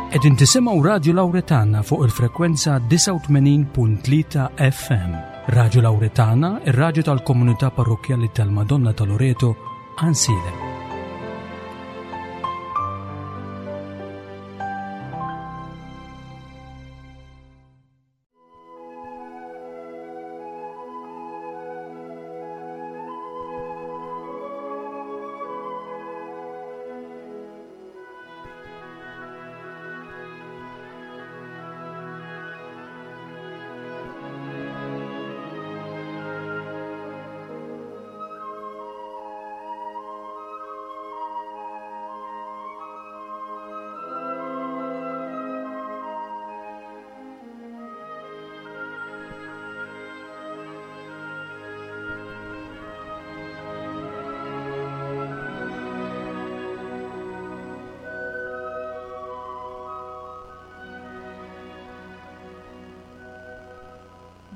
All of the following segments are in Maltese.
Qegħdin tisimgħu Radju Lawretana fuq il-frekwenza 89.3 FM. Radju Lawretana, ir-radju tal-komunità parrokkjali tal-Madonna ta' Loreto, Għansielem.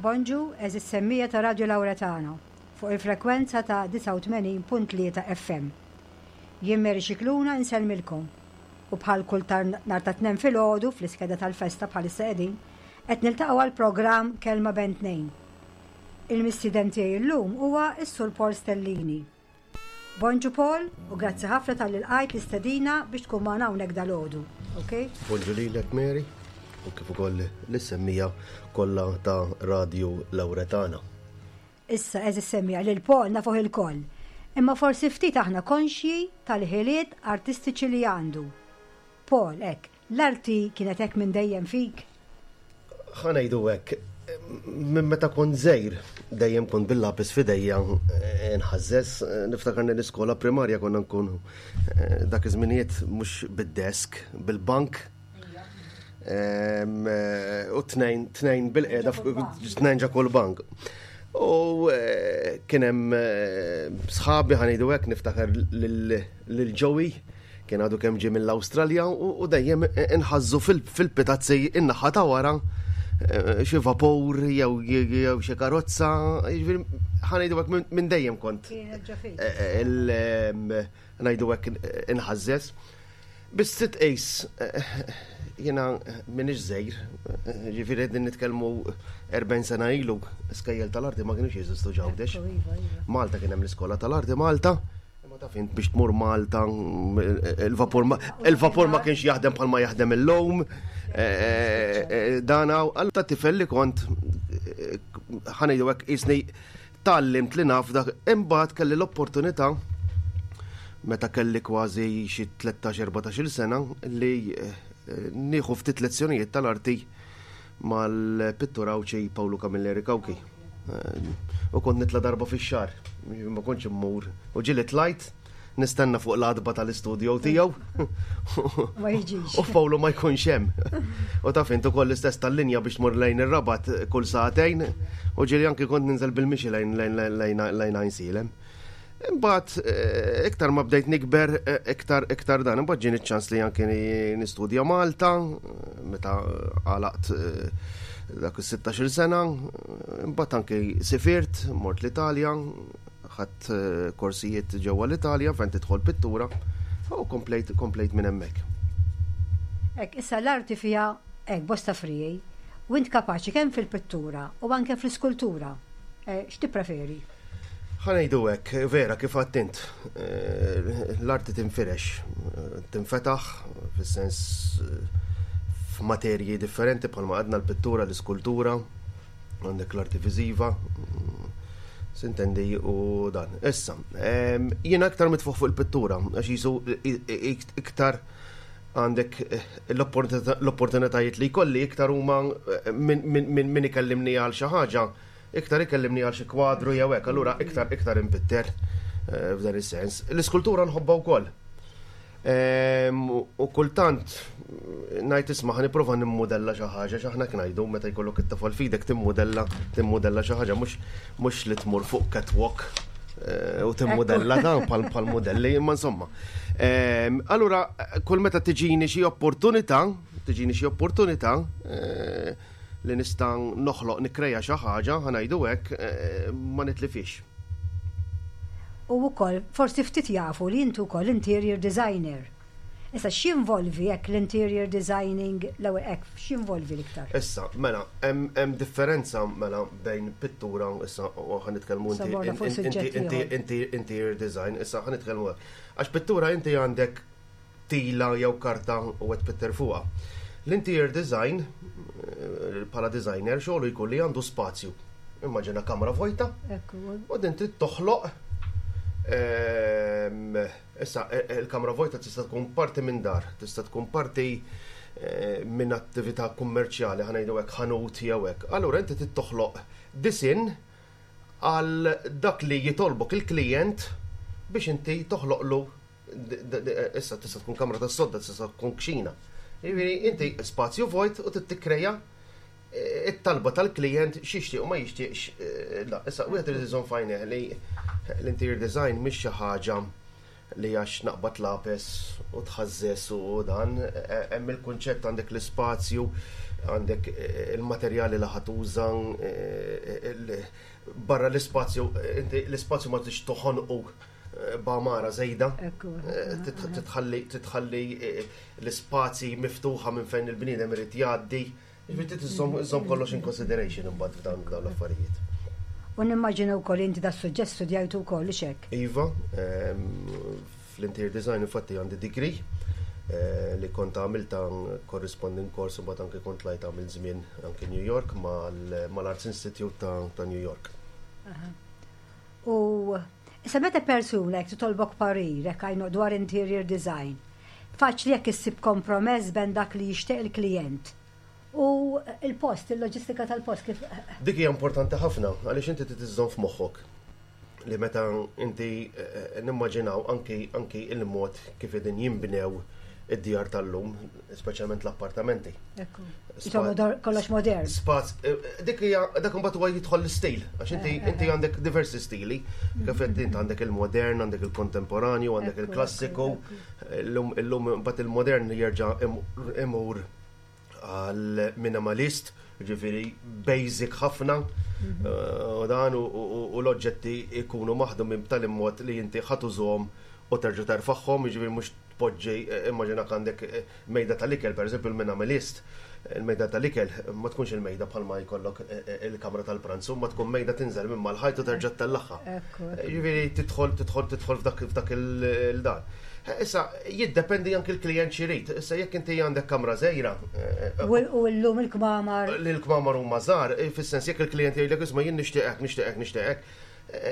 Bonġu, eżis semmija ta' Radio Lauretano fuq il-frekwenza ta' 89.3 FM. Jien Mary Scicluna insellmilkom u bħal kull tar nhar ta' Tnejn filgħodu fl-iskeda tal-festa bħalissa qegħdin, qed niltaqgħu għall-programm Kelma Bejn Tnejn. Il-mistieden tiegħi llum huwa s-Sur Paul Stellini. Bonġu Paul u grazzi ħafna talli lqajt l-istedina biex tkun magħna hawnhekk dalgħodu. Okay? Bonġu lilek Mary u kif ukoll lis-semmija kollha ta' Radju Lawretana. Issa, għeżież semmiegħa, lil Paul nafuh ilkoll, imma forsi ftit aħna konxji tal-ħiliet artistiċi li għandu. Paul, hekk, l-arti kienet hekk minn dejjem fik? Ħa ngħidu hekk, minn meta kont żgħir dejjem kont bil-lapis f'idejja nħażżeż. Niftakarni l-iskola primarja konna nkunu dak iż-żminijiet mhux bid-desk, bil-bank. U tnejn, tnejn bil-qeda, tnejn ġa kull bank. U eh, kien hemm eh, sħabi ħanidu hekk niftakar lil Joey kien għadu kemm ġie mill-Awstralja u dejjem inħażżu fil-pitazzi in-naħa ta' wara eh, xi vapur jew xi karozza, jiġifieri ħanejdu hekk minn dejjem kont. Ngħidu hekk inħażżeż. Biss trid tqis jiena m'iniex żgħir, ġifieri qegħdin nitkellmu 40 sena ilu, skejjel tal-arti ma kienux jeżistu ġawdex. Iva, iva. Malta kien hemm l-iskola tal-arti Malta, imma taf int biex tmur Malta il-vapur ma kienx jaħdem bħalma jaħdem illum. Eh, eh, eh, dana għal ta' tifel li kont ħanejdu hekk qisni Tgħallimt li naf dak imbagħad kelli l-opportunità meta kelli kważi xi 13-14-il sena li eh, nieħu ftit lezzjonijiet tal-arti mal-pittur Għawdxi Pawlu Camilleri Cauchi. Eh, u kont nitla darba fix-xahar, ma kontx immur. U ġieli tlajt nistenna fuq l-adba tal-istudio tiegħu. Ma jiġix. U Pawlu ma jkunx hemm. U taf int ukoll l-istess tal-linja biex tmur lejn ir-Rabat kull sagħtejn u ġieli anki kont ninżel bil-mixi lejn lejn lejn Għajnsielem. Imbagħad eh, iktar ma bdejt nikber eh, iktar iktar dan, imbagħad ġieni ċans li anki nistudja Malta eh, meta għalaqt dak is-16-il sena, imbagħad anki sifirt, mort l-Italja, Ħadt korsijiet ġewwa l-Italja fejn tidħol pittura u komplejt komplejt minn hemmhekk. Hekk, issa l-arti fiha hekk bosta friegħi u int kapaċi kemm fil-pittura u anke fl-iskultura. X'tippreferi? Ħa ngħidu hekk, vera kif għedt int, l-arti tinfirex, tinfetaħ fis-sens f'materji differenti bħalma għadna l-pittura, l-iskultura, għandek l-arti viżiva, sintendi u dan. Issa, jiena iktar mitfuħ fuq il-pittura, għax jisu iktar għandek eh, l-opportunitajiet li jkolli iktar huma eh, minn ikellimni għal xi ħaġa, iktar ikellimni għal xi kwadru jew hekk, allura iktar iktar impitter eh, f'dan is-sens. L-iskultura nħobbha wkoll. U kultant ngħid isma' ħa nipprova nimmudella xi ħaġa x'aħna ngħidu meta jkollok it-tafal f'idek timmudella timmudella xi ħaġa mhux mhux li tmur fuq catwalk eh, u timmudella dan bħal bħal mudelli imma insomma. Allura kull meta tiġini xi opportunità, tiġini xi opportunità eh, li nista' noħloq nikkreja xi ħaġa, ħa ngħidu hekk, eh, ma nitlifix. U wkoll forsi ftit jafu li inti wkoll interior designer. Issa x'jinvolvi hekk l-interior designing l-ewwel hekk x'jinvolvi l-iktar? Issa, mela, hemm differenza mela bejn pittura issa u ħa nitkellmu inti inti interior design, issa ħa nitkellmu għax pittura inti għandek tila jew karta u qed tpitter fuqha. L-interior design bħala designer xogħlu jkun li għandu spazju. Immaġina kamra vojta. U din trid toħloq Issa, il-kamra vojta tista' tkun parti minn dar, tista' tkun parti minn attività kummerċjali, ħa ngħidu hekk ħanut jew hekk. Allura inti trid toħloq disinn għal dak li jitolbok il-klijent biex inti toħloqlu issa tista' tkun kamra tas-sodda, tista' tkun kxina. Jiġifieri inti spazju vojt u trid tikkreja it-talba tal-klijent x'jixtieq u ma jixtieqx. La, issa wieħed irid iżomm f'għajnejh li l-interior design mhix xi ħaġa li għax naqbad lapes u tħażżeż u dan, hemm il-kunċett għandek l-ispazju, għandek il-materjali li ħa tuża, barra l-ispazju, inti l-ispazju ma tridx toħonqu b'għamara żejda. Titħalli l-ispazji miftuħa minn fejn il-bniedem irid jgħaddi. Jiġifieri trid iżżomm kollox in consideration imbagħad f'dawn l-affarijiet. U nimmaġina wkoll inti das-suġġett studjajtu wkoll, hux hekk? Iva, fl-interior design infatti għandi degree li kont għamilta corresponding course u mbagħad anke kont tlajt għamilt żmien anke New York mal-Arts Institute ta' New York. U issa meta persuna jekk titolbok parir hekk għajnu dwar interior design, faċli jekk issib kompromess bejn dak li jixtieq il-klijent u il-post, il-loġistika tal-post kif. Dik hija importanti ħafna għaliex inti trid iżżomm f'moħħok li meta inti nimmaġinaw anki anki il-mod kif qegħdin jinbnew id-djar tal-lum, speċjalment l-appartamenti. Ekku. Kollox modern. Spaz, dik hija dak imbagħad huwa jidħol l-istil, għax inti inti għandek diversi stili, kif qed int għandek il-modern, għandek il-kontemporanju, għandek il-klassiku, illum illum imbagħad il-modern jerġa' imur għal minimalist, ġifieri basic ħafna, u dan u l-oġġetti jkunu maħdumin b'tali mod li inti ħa tużhom u terġa' terfagħhom, jiġifieri mhux tpoġġi, immaġinak għandek mejda tal-ikel, pereżempju l-minimalist, il-mejda tal-ikel ma tkunx il-mejda bħalma jkollok il-kamra tal-pranzu, ma tkun mejda tinżel minn mal-ħajt u terġa' ttellagħha. Jiġifieri tidħol tidħol tidħol f'dak f'dak il-dan. Issa jiddependi anki l-klijent x'irid. Issa jekk inti għandek kamra żgħira. U llum il-kmamar. Li l-kmamar huma żgħar, fis-sens jekk il-klijent jgħidlek isma' jien nixtieq hekk, nixtieq hekk, nixtieq hekk,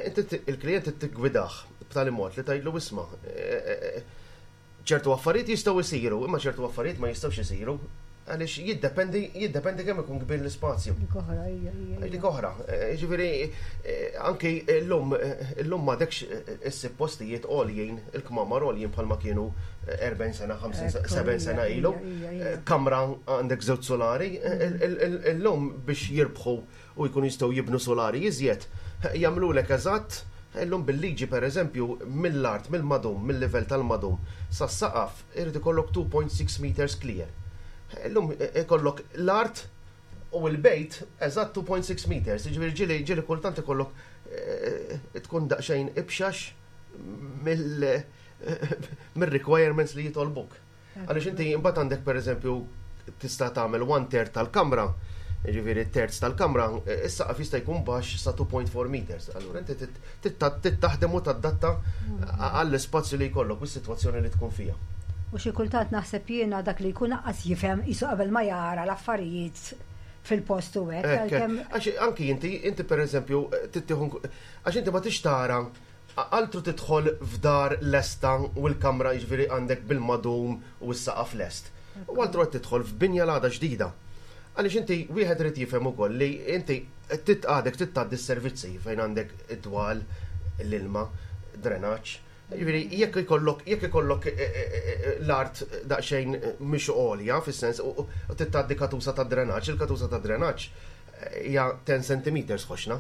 inti il-klijent tiggwidah b'tali mod li tgħidlu isma' ċertu affarijiet jistgħu jsiru, imma ċertu affarijiet ma jistgħux isiru għaliex jiddependi jiddependi kemm ikun kbir l-ispazju. Dik oħra, hija, hija. Dik oħra. Jiġifieri anki llum illum m'għadekx issib postijiet għoljin, il-kmamar għoljin bħalma kienu 40 sena, 50 sena, 70 sena ilu. Kamra għandek żewġ solari, illum biex jirbħu u jkunu jistgħu jibnu solari iżjed, jagħmlulek eżatt, illum bil-liġi pereżempju mill-art, mill-madum, mill-livell tal-madum sas-saqaf irid ikollok 2.6 meters clear. Illum ikollok l-art u l-bejt eżatt 2.6 meters, jiġifieri ġieli ġieli kultant ikollok tkun daqsxejn ibxax mill-requirements li jitolbuk. Għaliex inti imbagħad għandek pereżempju tista' tagħmel one third tal-kamra, jiġifieri terz tal-kamra, is-saqaf jista' jkun baxx sa 2.4 meters. Allura inti trid taħdem u tadatta għall-ispazju li jkollok u s-sitwazzjoni li tkun fiha. U xi kultant naħseb jiena dak li jkun aqqas jifhem qisu qabel ma jara l-affarijiet fil-post u hekk. Għax anki inti, inti pereżempju trid għax inti ma tix tara Altru tidħol f'dar lesta u l-kamra jiġifieri għandek bil-madum u s-saqaf lest. U altru qed tidħol f'binja l-għada ġdida. Għaliex inti wieħed irid jifhem ukoll li inti trid għadek trid tgħaddi s-servizzi fejn għandek id-dwal, l-ilma, drenaġġ. Jiġifieri jekk ikollok jekk ikollok l-art daqsxejn mhix għolja fis-sens u trid tgħaddi katusa tad-drenaġġ, il-katusa tad-drenaġġ hija 10 centimeters ħoxna.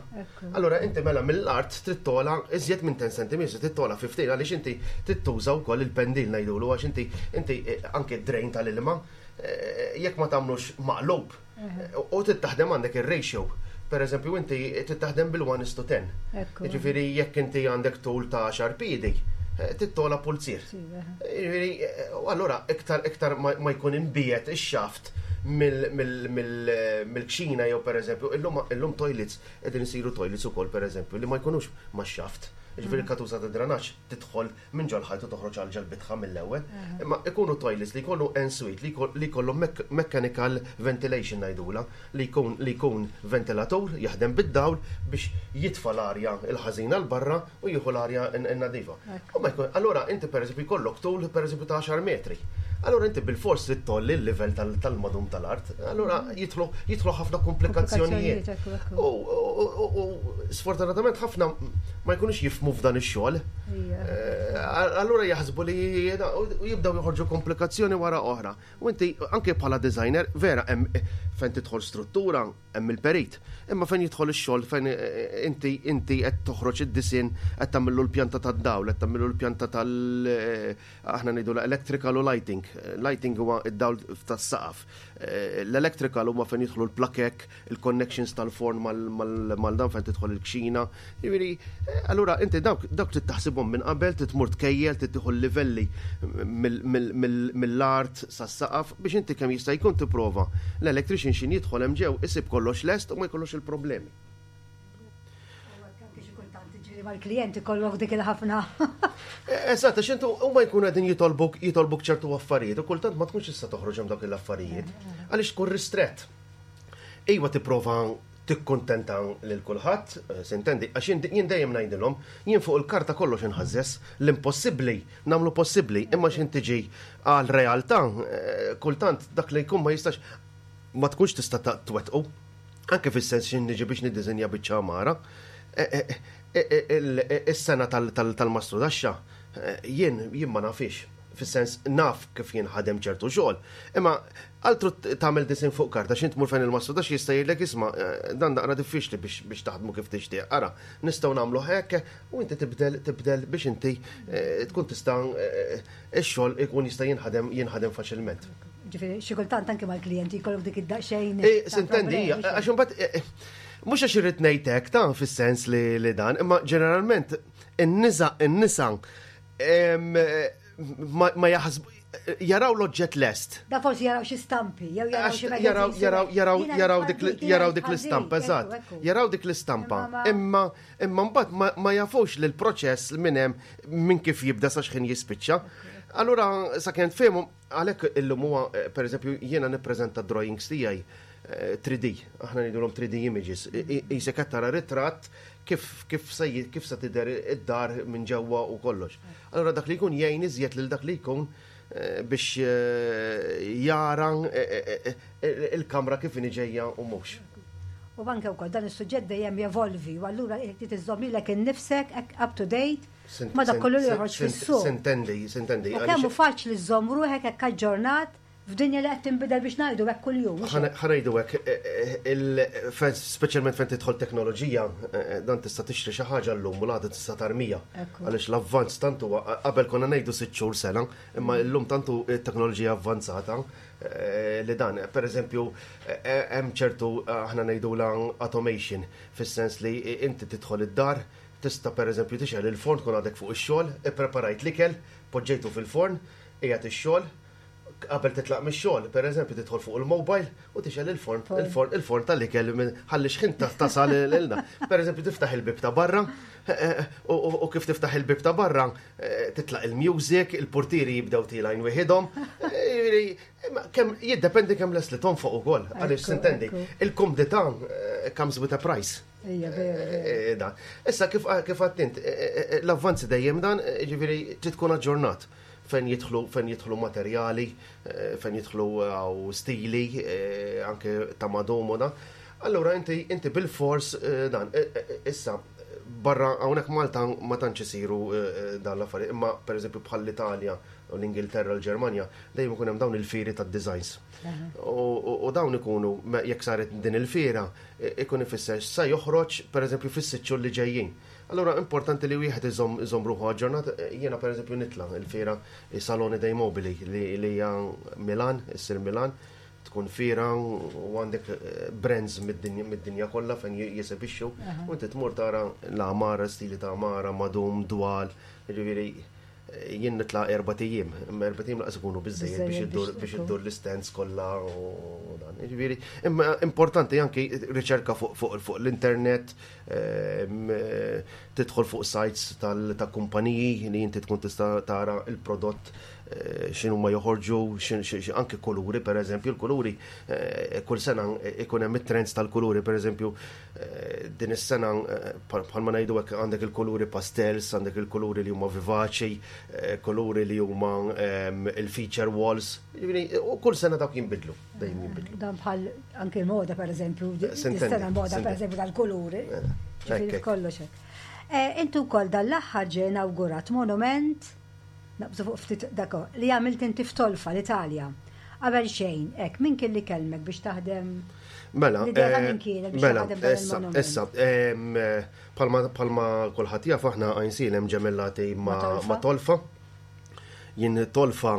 Allura inti mela mill-art trid togħla iżjed minn 10 centimeters, trid togħla 15 għaliex inti trid tuża wkoll il-pendil ngħidulu għax inti inti eh, anke d-drain tal-ilma eh, jekk ma tagħmlux maqlub u trid taħdem għandek ir-ratio. Per eżempju, inti trid taħdem bil-1 is to 10. Jiġifieri jekk inti għandek tul ta' 10 piedi, Tittola pulzier. Jiġifieri, u allura iktar iktar ma jkun imbiegħed ix-xaft mill-kxina jew pereżempju, illum toilets qegħdin isiru toilets ukoll pereżempju li ma jkunux max-xaft. Jiġifieri l-katusa ta' dranaġġ tidħol minn ġol-ħajt u toħroġ għal ġol-bitħa mill-ewwel. Imma ikunu toilets li jkollu en suite li jkollhom mechanical ventilation ngħidulha, li jkun li jkun ventilatur jaħdem bid-dawl biex jitfa' l-arja l-ħażina 'l barra u jieħu l-arja n-nadifa. U ma jkun, allura inti pereżempju jkollok tul pereżempju ta' għaxar metri. Allura inti bilfors trid tgħolli l-livell tal-madum tal-art. Allura jidħlu jidħlu ħafna komplikazzjonijiet. U sfortunatament ħafna ma jkunux jifhmu f'dan ix-xogħol. Allura jaħsbu li u jibdew joħorġu komplikazzjoni wara oħra. U inti anke bħala designer vera hemm fejn tidħol struttura hemm il-perit. Imma fejn jidħol ix-xogħol fejn inti inti qed toħroġ id-disinn, qed tagħmillu l-pjanta tad-dawl, qed tagħmillu l-pjanta tal aħna ngħidu l-electrical u lighting. Lighting huwa id-dawl tas-saqaf. L-electrical huma fejn jidħlu l-plakek, il-connections tal-forn mal dan fejn tidħol il-kxina. Jiġifieri, allura inti dawk dawk trid taħsibhom minn qabel, trid tmur tkejjel, trid tieħu l-livelli mill-art sas-saqaf biex inti kemm jista' jkun tipprova l-electrician x'ħin jidħol hemm ġew isib kollox lest u ma jkollux il-problemi. Mal-klient ikollok dik il-ħafna. Eżatt, għax intu huma jkunu qegħdin jitolbuk jitolbuk ċertu affarijiet u kultant ma tkunx issa toħroġ hemm dawk l-affarijiet. Għaliex tkun ristrett. Iva tipprova tikkuntenta lil kulħadd, sintendi, għax jien dejjem ngħidilhom, jien fuq il-karta kollox inħażżes, l-impossibbli nagħmlu possibbli, imma x'ħin tiġi għal realtà, kultant dak li jkun ma jistax ma tkunx tista' twettqu. Anke fis-sens x'ħin niġi biex niddiżinja biċċa għamara, is-sena tal-mastru daxxa, jien jien ma nafix. Fis-sens naf kif jinħadem ċertu xogħol. Imma altru tagħmel disinn fuq karta x'int tmur fejn il-mastru daxxa jista' jgħidlek isma' dan naqra diffiċli biex taħdmu kif tixtieq. Ara, nistgħu nagħmlu hekk u inti tibdel tibdel biex inti tkun tista' ix-xogħol ikun jista' jinħadem jinħadem faċilment. Ġifieri, xi kultant anke mal-klijenti jkollok dik id-daqsxejn. Sintendi, għax imbagħad mhux għax irrid ngħid hekk ta' fis-sens li dan, imma ġeneralment in-nisa in-nisa ma jaħsbu jaraw l-oġġett lest. Da forsi jaraw xi stampi, jew jaraw xi Jaraw jaraw jaraw jaraw dik jaraw dik l-istampa, eżatt. Jaraw dik l-istampa. Imma imma mbagħad ma jafux li l-proċess minn hemm minn kif jibda sa x'ħin jispiċċa. Allura sakemm tfehmu għalhekk illum huwa pereżempju jiena nippreżenta drawings tiegħi 3D, aħna ngħidulhom 3D images. Qisek qed tara ritratt kif kif se kif se tidher id-dar minn ġewwa u kollox. Allura dak li jkun jgħin iżjed lil dak li jkun biex jara il-kamra kif inhi ġejja u mhux. U anke wkoll dan is-suġġett dejjem jevolvi u allura trid iżżomm lilek innifsek up to date ma dak kollu li joħroġ fis-suq. Sintendi, sintendi. U kemm hu faċli żżomm ruħek hekk aġġornat f'dinja li qed tinbidel biex ngħidu hekk kuljum. Ħa ngħidu hekk, speċjalment fejn tidħol teknoloġija, dan tista' tixtri xi ħaġa llum u l-għada tista' tarmija. Għaliex l-avvanz tant huwa qabel konna ngħidu 6 xhur sena, imma llum tantu t-teknoloġija avvanzata li dan, per eżempju, hemm ċertu aħna ngħidulha automation, fis-sens li inti tidħol id-dar, tista' per eżempju tixgħel il-forn tkun għadek fuq ix-xogħol, ippreparajt l-ikel, poġġejtu fil-forn, qiegħed ix-xogħol, qabel titlaq mix-xogħol, per eżempju, tidħol fuq il-mobile u tixgħel il-forn, il-forn, il-forn tal-ikel ħalli xħin tasal ilna. Per eżempju, tiftaħ il-bib ta' barra, u kif tiftaħ il-bib ta' barra, titlaq il-music, il-portieri jibdew tilgħin wieħedhom. Kemm jiddependi kemm les li tonfoq ukoll, għaliex sintendi, il-kumdità comes with a price. Ija, vera. Dan. Issa kif għattint, l-avvanzi dejjem dan, ġifieri trid tkun aġġornat fejn jidħlu fejn jidħlu materjali, fejn jidħlu stili, anke ta' madum u dan. Allura inti inti bil-fors dan. Issa barra hawnhekk Malta ma tantx isiru dan l-affarijiet, imma pereżempju bħal l-Italja u l-Ingilterra, l-Ġermanja, dejjem ikun hemm dawn il-fieri tad-designs. U dawn ikunu jekk saret din il-fiera, ikun ifisser sa joħroġ pereżempju fis-6 xhur li ġejjin. Allura importanti li wieħed iżomm iżomm ruħu aġġornat. Jiena pereżempju nitla' il-fiera Salone dei Mobili li hija Milan, issir Milan, tkun fiera u għandek brands mid-dinja kollha fejn jesebixxu u inti tmur tara l-għamara, stili ta' għamara, madum, dwal, ġifieri. Jien nitla' erbat ijiem, imma erbat ijiem lanqas ikunu biżżejjed biex iddur biex iddur l-istands kollha u dan. Jiġifieri, imma importanti anki riċerka fuq fuq fuq l-internet, ehm, tidħol fuq sites ta' kumpaniji li inti tkun tista' tara il-prodott eh, x'inhu ma joħorġu, anki kuluri pereżempju, il-kuluri eh, kull sena ikun hemm it-trends tal-kuluri pereżempju Din is-sena bħalma ngħidu hekk għandek il-kuluri pastels, għandek il-kuluri li huma vivaċi, kuluri li huma il-feature walls, u kull sena dawk jinbidlu, dejjem jinbidlu. Dan bħal anke l-moda pereżempju, is-sena moda pereżempju tal-kuluri. Ġifieri kollox hekk. Intu wkoll dan l-aħħar ġie inawgurat monument Naqbżu fuq ftit dak li għamilt inti f'Tolfa, l-Italja. Qabel xejn, hekk, min kien li kellmek biex taħdem? Mela, L-idea ta' min kienet biex mela, taħdem dan issa, il-monument? issa, palma, palma kulħadd jaf aħna Għajnsielem ġemellati Ma' Tolfa. ma' Tolfa. Jien Tolfa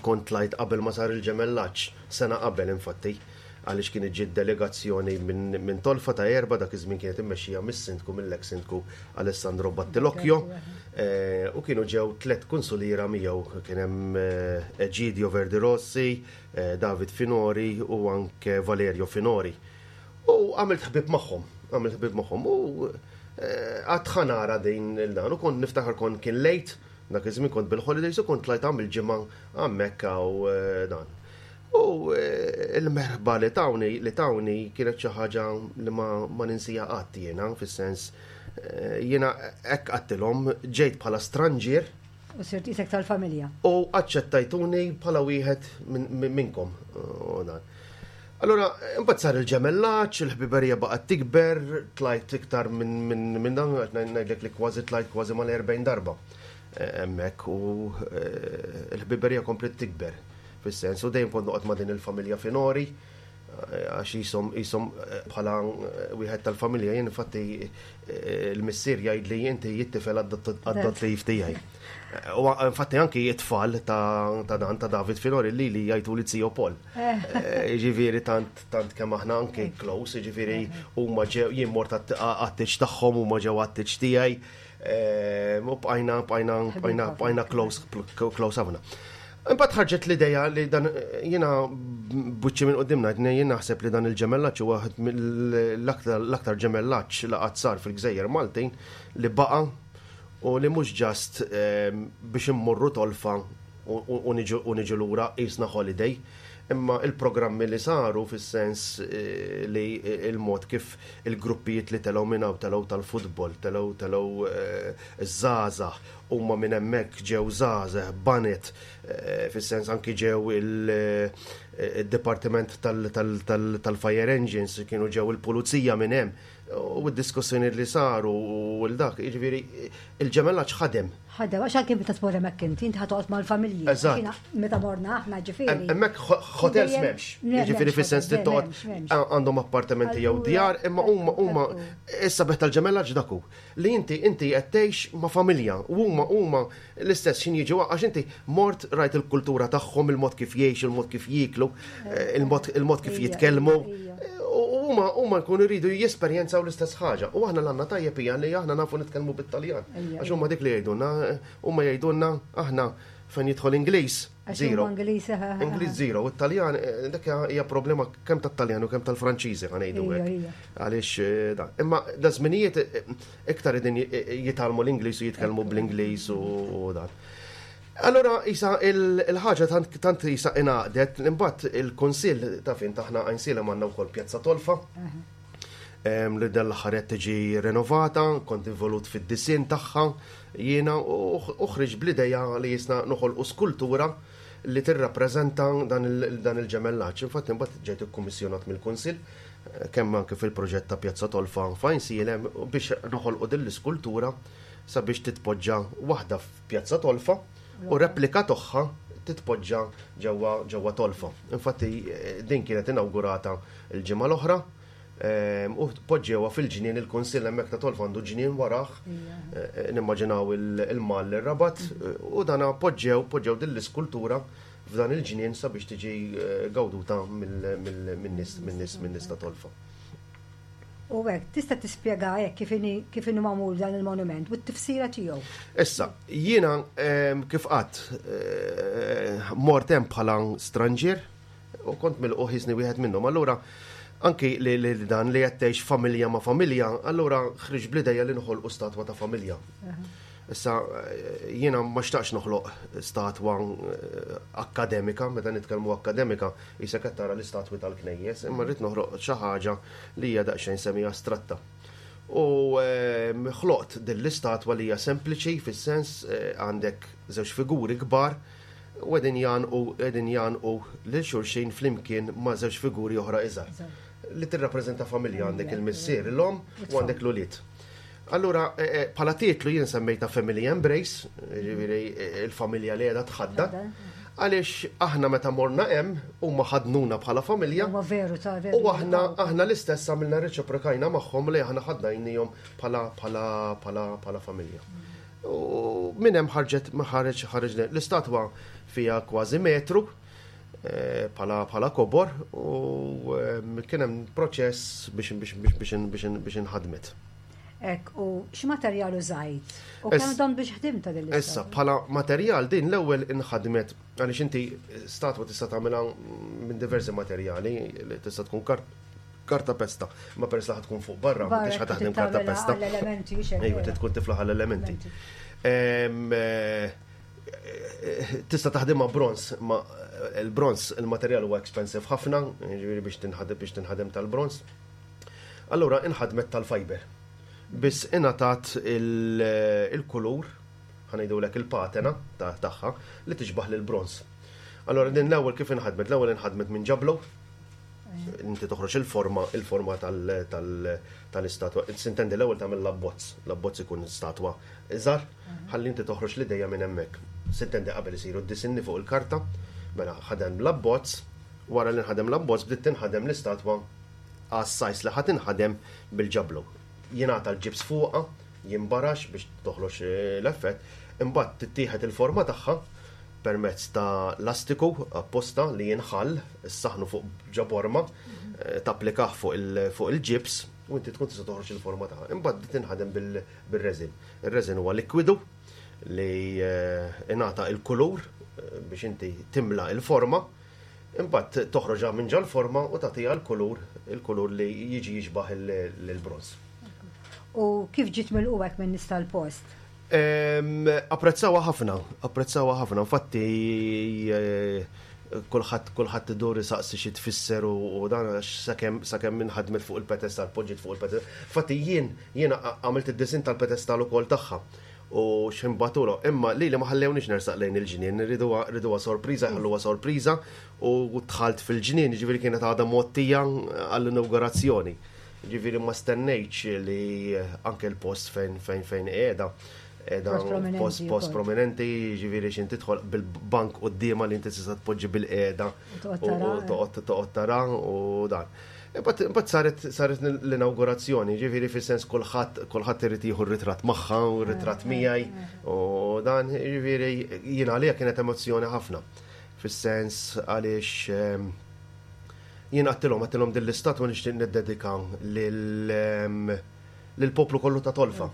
kont tlajt qabel ma sar il-ġemellaġġ, sena qabel infatti, għaliex kienet ġiet delegazzjoni minn Tolfa ta' Erba' dak iż-żmien kienet immexxija mis-sindku mill-eks sindku Alessandro Battilocchio u kienu ġew tlett kunsuliera miegħu kien hemm Egidio Verdi Rossi, David Finori u anke Valerio Finori. U għamilt ħbieb magħhom, għamilt ħbieb magħhom u għad ħa nara din il-dan u kont niftakar kont kien lejt dak iż-żmien kont bil-holidays u kont tlajt għamil ġimgħa hemmhekk hawn dan. U l-merħba li tawni li tawni kienet xi ħaġa li ma, ma ninsija qatt jiena, fis-sens jiena hekk qattilhom ġejt bħala stranġier. U sirt isek tal-familja. U aċċettajtuni bħala wieħed minnkom. U dan. Allora, imbagħad sar il-ġemellaġġ, il-ħbiberija baqgħet tikber, tlajt iktar minn min, min dan, ngħidlek li kważi tlajt kważi mal-40 darba hemmhekk u l-ħbiberija kompliet tikber. Fis-sens, u dejjem kont noqgħod ma' din il-familja Finori, għax qishom qishom bħala wieħed tal-familja. Jien infatti l-missier jgħidli inti it-tifel adottiv tiegħi. U infatti anki it-tfal ta' dan ta' David Finori li li jgħiduli Zio Paul. Jiġifieri tant tant kemm aħna anki close, jiġifieri huma ġew jien mort għat-tieġ tagħhom huma ġew għat-tieġ tiegħi. U bqajna bqajna bqajna bqajna close close ħafna. Imbagħad ħarġet l-idea li dan jiena buċċi minn quddiem ngħid jien naħseb li dan il-ġemellaġġ huwa waħed mill-aktar l-aktar ġemellaġġ li qatt sar fil-Gżejjer Maltin li baqa' u li mhux ġast biex immorru tolfa u niġu lura qisna holiday. Imma il-programmi li saru fis-sens li il-mod kif il-gruppijiet li telgħu minn hawn telgħu tal-futbol, telgħu telgħu ż-żgħażagħ, huma minn hemmhekk ġew żgħażagħ, baned, fis-sens anki ġew il-dipartiment tal-fire engines, kienu ġew il-pulizija minn hemm, u d-diskussjonijiet li saru u l-dak, jiġifieri il-ġemellaġġ ħadem. Ħadem, għax anke meta tmur hemmhekk inti, inti ħa toqgħod mal-familji. Eżatt. Meta morna aħna ġifieri. Hemmhekk hotels m'hemmx. Jiġifieri fis-sens li toqgħod għandhom appartamenti jew djar, imma huma huma is-sabiħ tal-ġemellaġġ dak hu. Li inti inti qed tgħix ma' familja u huma huma l-istess x'in jiġu għax inti mort rajt il-kultura tagħhom, il-mod kif jgħixu, il-mod kif jieklu, il-mod il-mod kif jitkellmu. U huma huma jkunu jridu jesperjenzaw l-istess ħaġa. U aħna l-għandna tajjeb hija li aħna nafu nitkellmu bit-Taljan. Għax huma dik li jgħidulna, huma jgħidulna aħna fejn jidħol Ingliż, zero. Ingliż zero. U t-Taljan, dak hija problema kemm tat-Taljan u kemm tal-Franċiżi ħa ngħidu hekk. Għaliex dan. Imma da żminijiet iktar qegħdin jitgħallmu l-Ingliż u jitkellmu bl-Ingliż u dan. Allura isa il-ħaġa tant tant isa ingħaqdet, imbagħad il-Kunsill ta' fin taħna Għajnsielem għandna wkoll Pjazza Tolfa. Li dan l-aħħar qed tiġi renovata, kont involut fid-disinn tagħha jiena u ħriġt bl-idea li jisna noħolqu skultura li tirrappreżenta dan il-ġemellaġġ. Infatti imbagħad ġejt ikkummissjonat mill-Kunsill kemm anke fil-proġett ta' Pjazza Tolfa f'Għajnsielem biex noħolqu din l-iskultura sabiex titpoġġa waħda Pjazza Tolfa u replika togħha titpoġġa ġewwa ġewwa Tolfa. Infatti din kienet inawgurata l-ġimgħa l-oħra u poġġewha fil-ġnien il-Kunsill hemmhekk ta' Tolfa għandu ġnien warah nimmaġinaw il-mall ir-Rabat u dana poġġew poġġew din l-iskultura f'dan il-ġnien sabiex tiġi gawduta min-nies min-nies min-nies ta' Tolfa. U hekk, tista' tispjega hekk kif inhi kif inhu magħmul dan il-monument u t-tifsira tiegħu? Issa, jiena kif qatt mort hemm bħala stranġier u kont milqugħ jisni wieħed minnhom. Allura anki li dan li qed tgħix familja ma' familja, allura ħriġt bl-idea li noħolqu statwa ta' familja. Issa jiena ma xtaqx noħloq statwa akkademika, meta nitkellmu akkademika, Qisek qed tara l-istatwi tal-knejjes, imma rrid noħroq xi ħaġa li hija daqsxejn semi astratta. U ħloqt din l-istatwa li hija sempliċi fis-sens għandek żewġ figuri kbar u qegħdin jgħannqu qegħdin jgħannqu lil xulxin flimkien ma' żewġ figuri oħra iżgħar. Li tirrappreżenta familja għandek il-missier, l-omm u għandek l-ulied. Allura, eh, eh, bħala titlu jien semmejta Family Embrace, ġifieri eh, il-familja li qiegħda tħadda, għaliex aħna meta morna hemm huma ħadnuna bħala familja. Huwa veru ta' veru. U aħna aħna l-istess għamilna reċiprokajna magħhom li aħna ħadnajnihom bħala bħala bħala bħala familja. U minn hemm ħarġet ħareġ ħareġ l-istatwa fija kważi metru bħala bħala kobor u kien hemm proċess biex biex biex biex biex inħadmet. Ek, u x'materjal użajt? U kemm dom biex ħdimta din Issa, bħala materjal din l-ewwel inħadmet għaliex inti statwa tista' tagħmilha minn diversi materjali, li tista' tkun karta pesta, ma peress li tkun fuq barra, ma tix taħdem karta pesta. L-elementi, Ejwa, tkun tiflaħ l-elementi. Eh, Tista' taħdimha bronz, ma il-bronz il-materjal huwa expensive ħafna, jiġifieri biex tinħadem biex tinħadem tal-bronz. Allura inħadmet tal-fiber. Biss ingħatat il-kulur, ħa ngħidulek il-patena tagħha li tixbaħ lil bronz. Allura din l-ewwel kif inħadmet? L-ewwel inħadmet minn ġablo, inti toħroġ il-forma il-forma tal-istatwa. Sintendi l-ewwel tagħmel l-abbozz, l-abbozz ikun statwa iżgħar, ħalli inti toħroġ l-idea minn hemmhekk. Sintendi qabel isiru d-disinni fuq il-karta, mela ħadem l-abbozz, wara li nħadem l-abbozz bdiet tinħadem l-istatwa għas-size li ħa tinħadem bil-ġablu. Jingħata l-ġibs fuqha, jinbarax biex toħroġ l-effett, imbagħad tittieħed il-forma tagħha permezz ta' lastiku apposta li jinħall, issaħnu fuq ġaborma, tapplikah fuq il-ġibs u inti tkun tista' toħroġ il-forma tagħha. Imbagħad tinħadem bil-resin. Ir-resin huwa likwidu li ingħata il-kulur biex inti timla il-forma, imbagħad toħroġha minn ġol-forma u tagħtiha l-kulur, il-kulur li jiġi jixbaħ il-bronż. U kif ġiet milqugħek minn nies tal-post? Apprezzawha ħafna, apprezzawha ħafna. Infatti kulħadd kulħadd idur isaqsi xi tfisser u dan għax sakemm sakemm inħadmet fuq il-pedestal, poġġiet fuq il-pedestal. Infatti jien jiena għamilt id-disinn tal-pedestal ukoll tagħha u x'imbatulu. Imma li li ma ħallewniex nersaq lejn il-ġnien, riduha riduha sorpriża, ħalluha sorpriża u dħalt fil-ġnien, ġifieri kienet għadha mgħottija għall-inaugurazzjoni. Ġifieri ma stennejtx li anke l-post fejn fejn fejn qiegħda qiegħda post post prominenti, ġifieri x'in tidħol bil-bank quddiemha li inti tista' tpoġġi bil-qiegħda u toqgħod toqgħod tara u dan. Imbagħad saret saret l-inaugurazzjoni, ġifieri fis-sens kulħadd kulħadd irid jieħu r-ritratt magħha u r-ritratt miegħi u dan, ġifieri jien għalija kienet emozzjoni ħafna. Fis-sens għaliex jien għattilhom għattilhom din l-istatwa nixtieq niddedika lill-poplu kollu ta' Tolfa.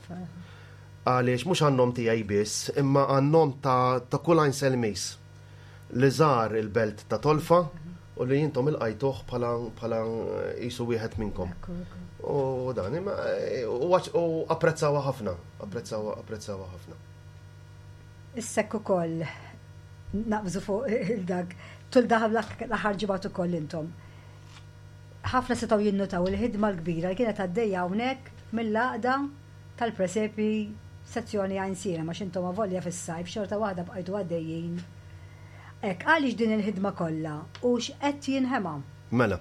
Għaliex mhux għan-nom tiegħi biss, imma għan-nom ta', ta kull Għajnselmiż li żar il-belt ta' Tolfa u li jintom ilqajtuh bħala bħala qisu wieħed minnkom. U dan, imma u apprezzawha ħafna, apprezzawha apprezzawha ħafna. Issek ukoll naqbżu fuq il-dak tul daħal l-aħħar ġimgħat ukoll intom. Ħafna setgħu jinnutaw il-ħidma l-kbira li kienet għaddejja hawnhekk mill-għaqda tal-presepi sezzjoni Għajnsielem għax intom avolja fis-sajf xorta waħda bqajtu għaddejjin. Hekk għaliex din il-ħidma kollha u x'qed jinħema? Mela,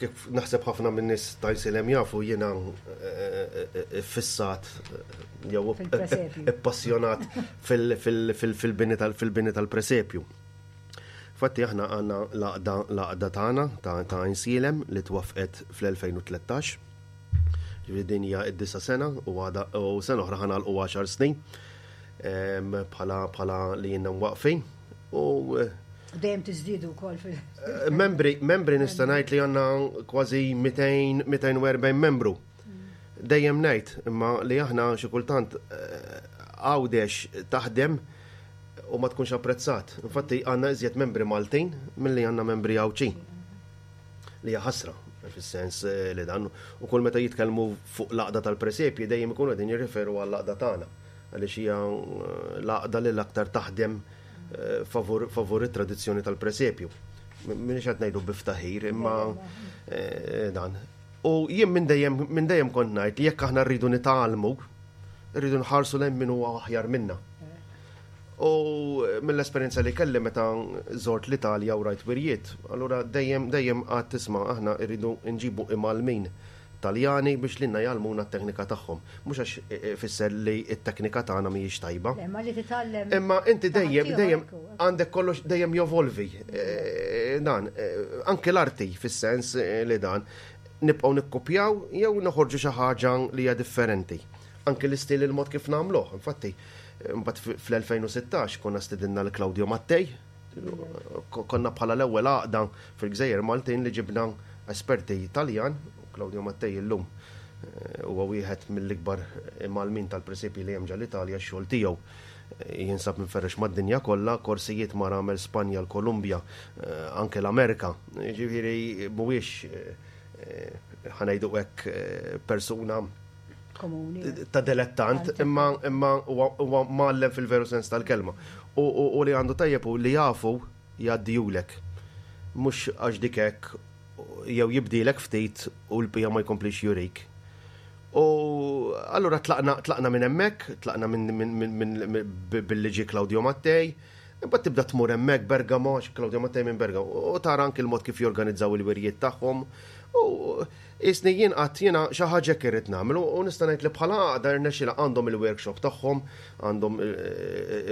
kif naħseb ħafna minn nies ta' Għajnsielem jafu jiena fissat jew ippassjonat fil-bini tal-fil-bini tal-presepju. Fatti aħna għandna l-għaqda l-għaqda tagħna ta' Għajnsielem li twaffqet fl-2013. Ġifieri din hija d-disa' sena u għada u sena oħra ħa nagħlqu 10 snin bħala bħala li jiena mwaqfin. U. Dejjem tiżdiedu wkoll fil. Membri, membri nista' ngħid li għandna kważi 200, 240 membru. Dejjem ngħid imma li aħna xi kultant Għawdex taħdem u ma tkunx apprezzat. Infatti għandna iżjed membri Maltin milli għandna membri Għawdxin. Li hija ħasra fis-sens li dan u kull meta jitkellmu fuq l-għaqda tal-presepji dejjem ikunu qegħdin jirriferu għall-għaqda tagħna għaliex hija l-għaqda li l-aktar taħdem favur, favur it-tradizzjoni tal-presepju. Minix qed ngħidu biftaħir, imma eh, dan. U jien minn dejjem minn dejjem kont ngħid li jekk aħna rridu nitgħallmu, rridu nħarsu lejn min huwa aħjar minna. U mill-esperjenza li kelli meta żort l-Italja u rajt wirjiet, allura dejjem dejjem għad tisma' aħna rridu nġibu imgħallmin Taljani biex lilna jgħallmuna t-teknika tagħhom. Mhux għax ifisser li t-teknika tagħna mhijiex tajba. Imma li titgħallem. Imma inti dejjem dejjem għandek kollox dejjem jovolvi. Dan, anke l-arti fis-sens li dan nibqgħu nikkupjaw jew noħorġu xi ħaġa li hija differenti. Anke l-istil il-mod kif nagħmluh. Infatti, mbagħad fl-2016 konna stidinna l Claudio Mattei, Konna bħala l-ewwel għaqda fil-Gżejjer Maltin li ġibna esperti Taljan, u Claudio Mattei illum eh, huwa wieħed mill-ikbar imgħallmin tal-presepji li hemm ġal-Italja x-xogħol tiegħu eh, jinsab minferrex mad-dinja kollha, korsijiet mar għamel Spanja, l-Kolumbja, eh, anke l-Amerika. Ġifieri mhuwiex ħanejdu hekk persuna komuni. Ta' dilettant, imma imma huwa mgħallem fil-veru sens tal-kelma. U li għandu tajjeb u li jafu jgħaddijulek. Mhux għax dik hekk jew jibdilek ftit u l-bija ma jkomplix jurik. U allura tlaqna tlaqna minn hemmhekk, tlaqna minn billi ġie Claudio Mattei, imbagħad tibda tmur hemmhekk Bergamo, għax Claudio Mattei minn Bergamo, u tara anki l-mod kif jorganizzaw il-wirjiet tagħhom. U Qisni jien qatt jiena xi ħaġa hekk irrid nagħmel u nista' ngħid li bħala għaqda rnexxielha għandhom il-workshop tagħhom, għandhom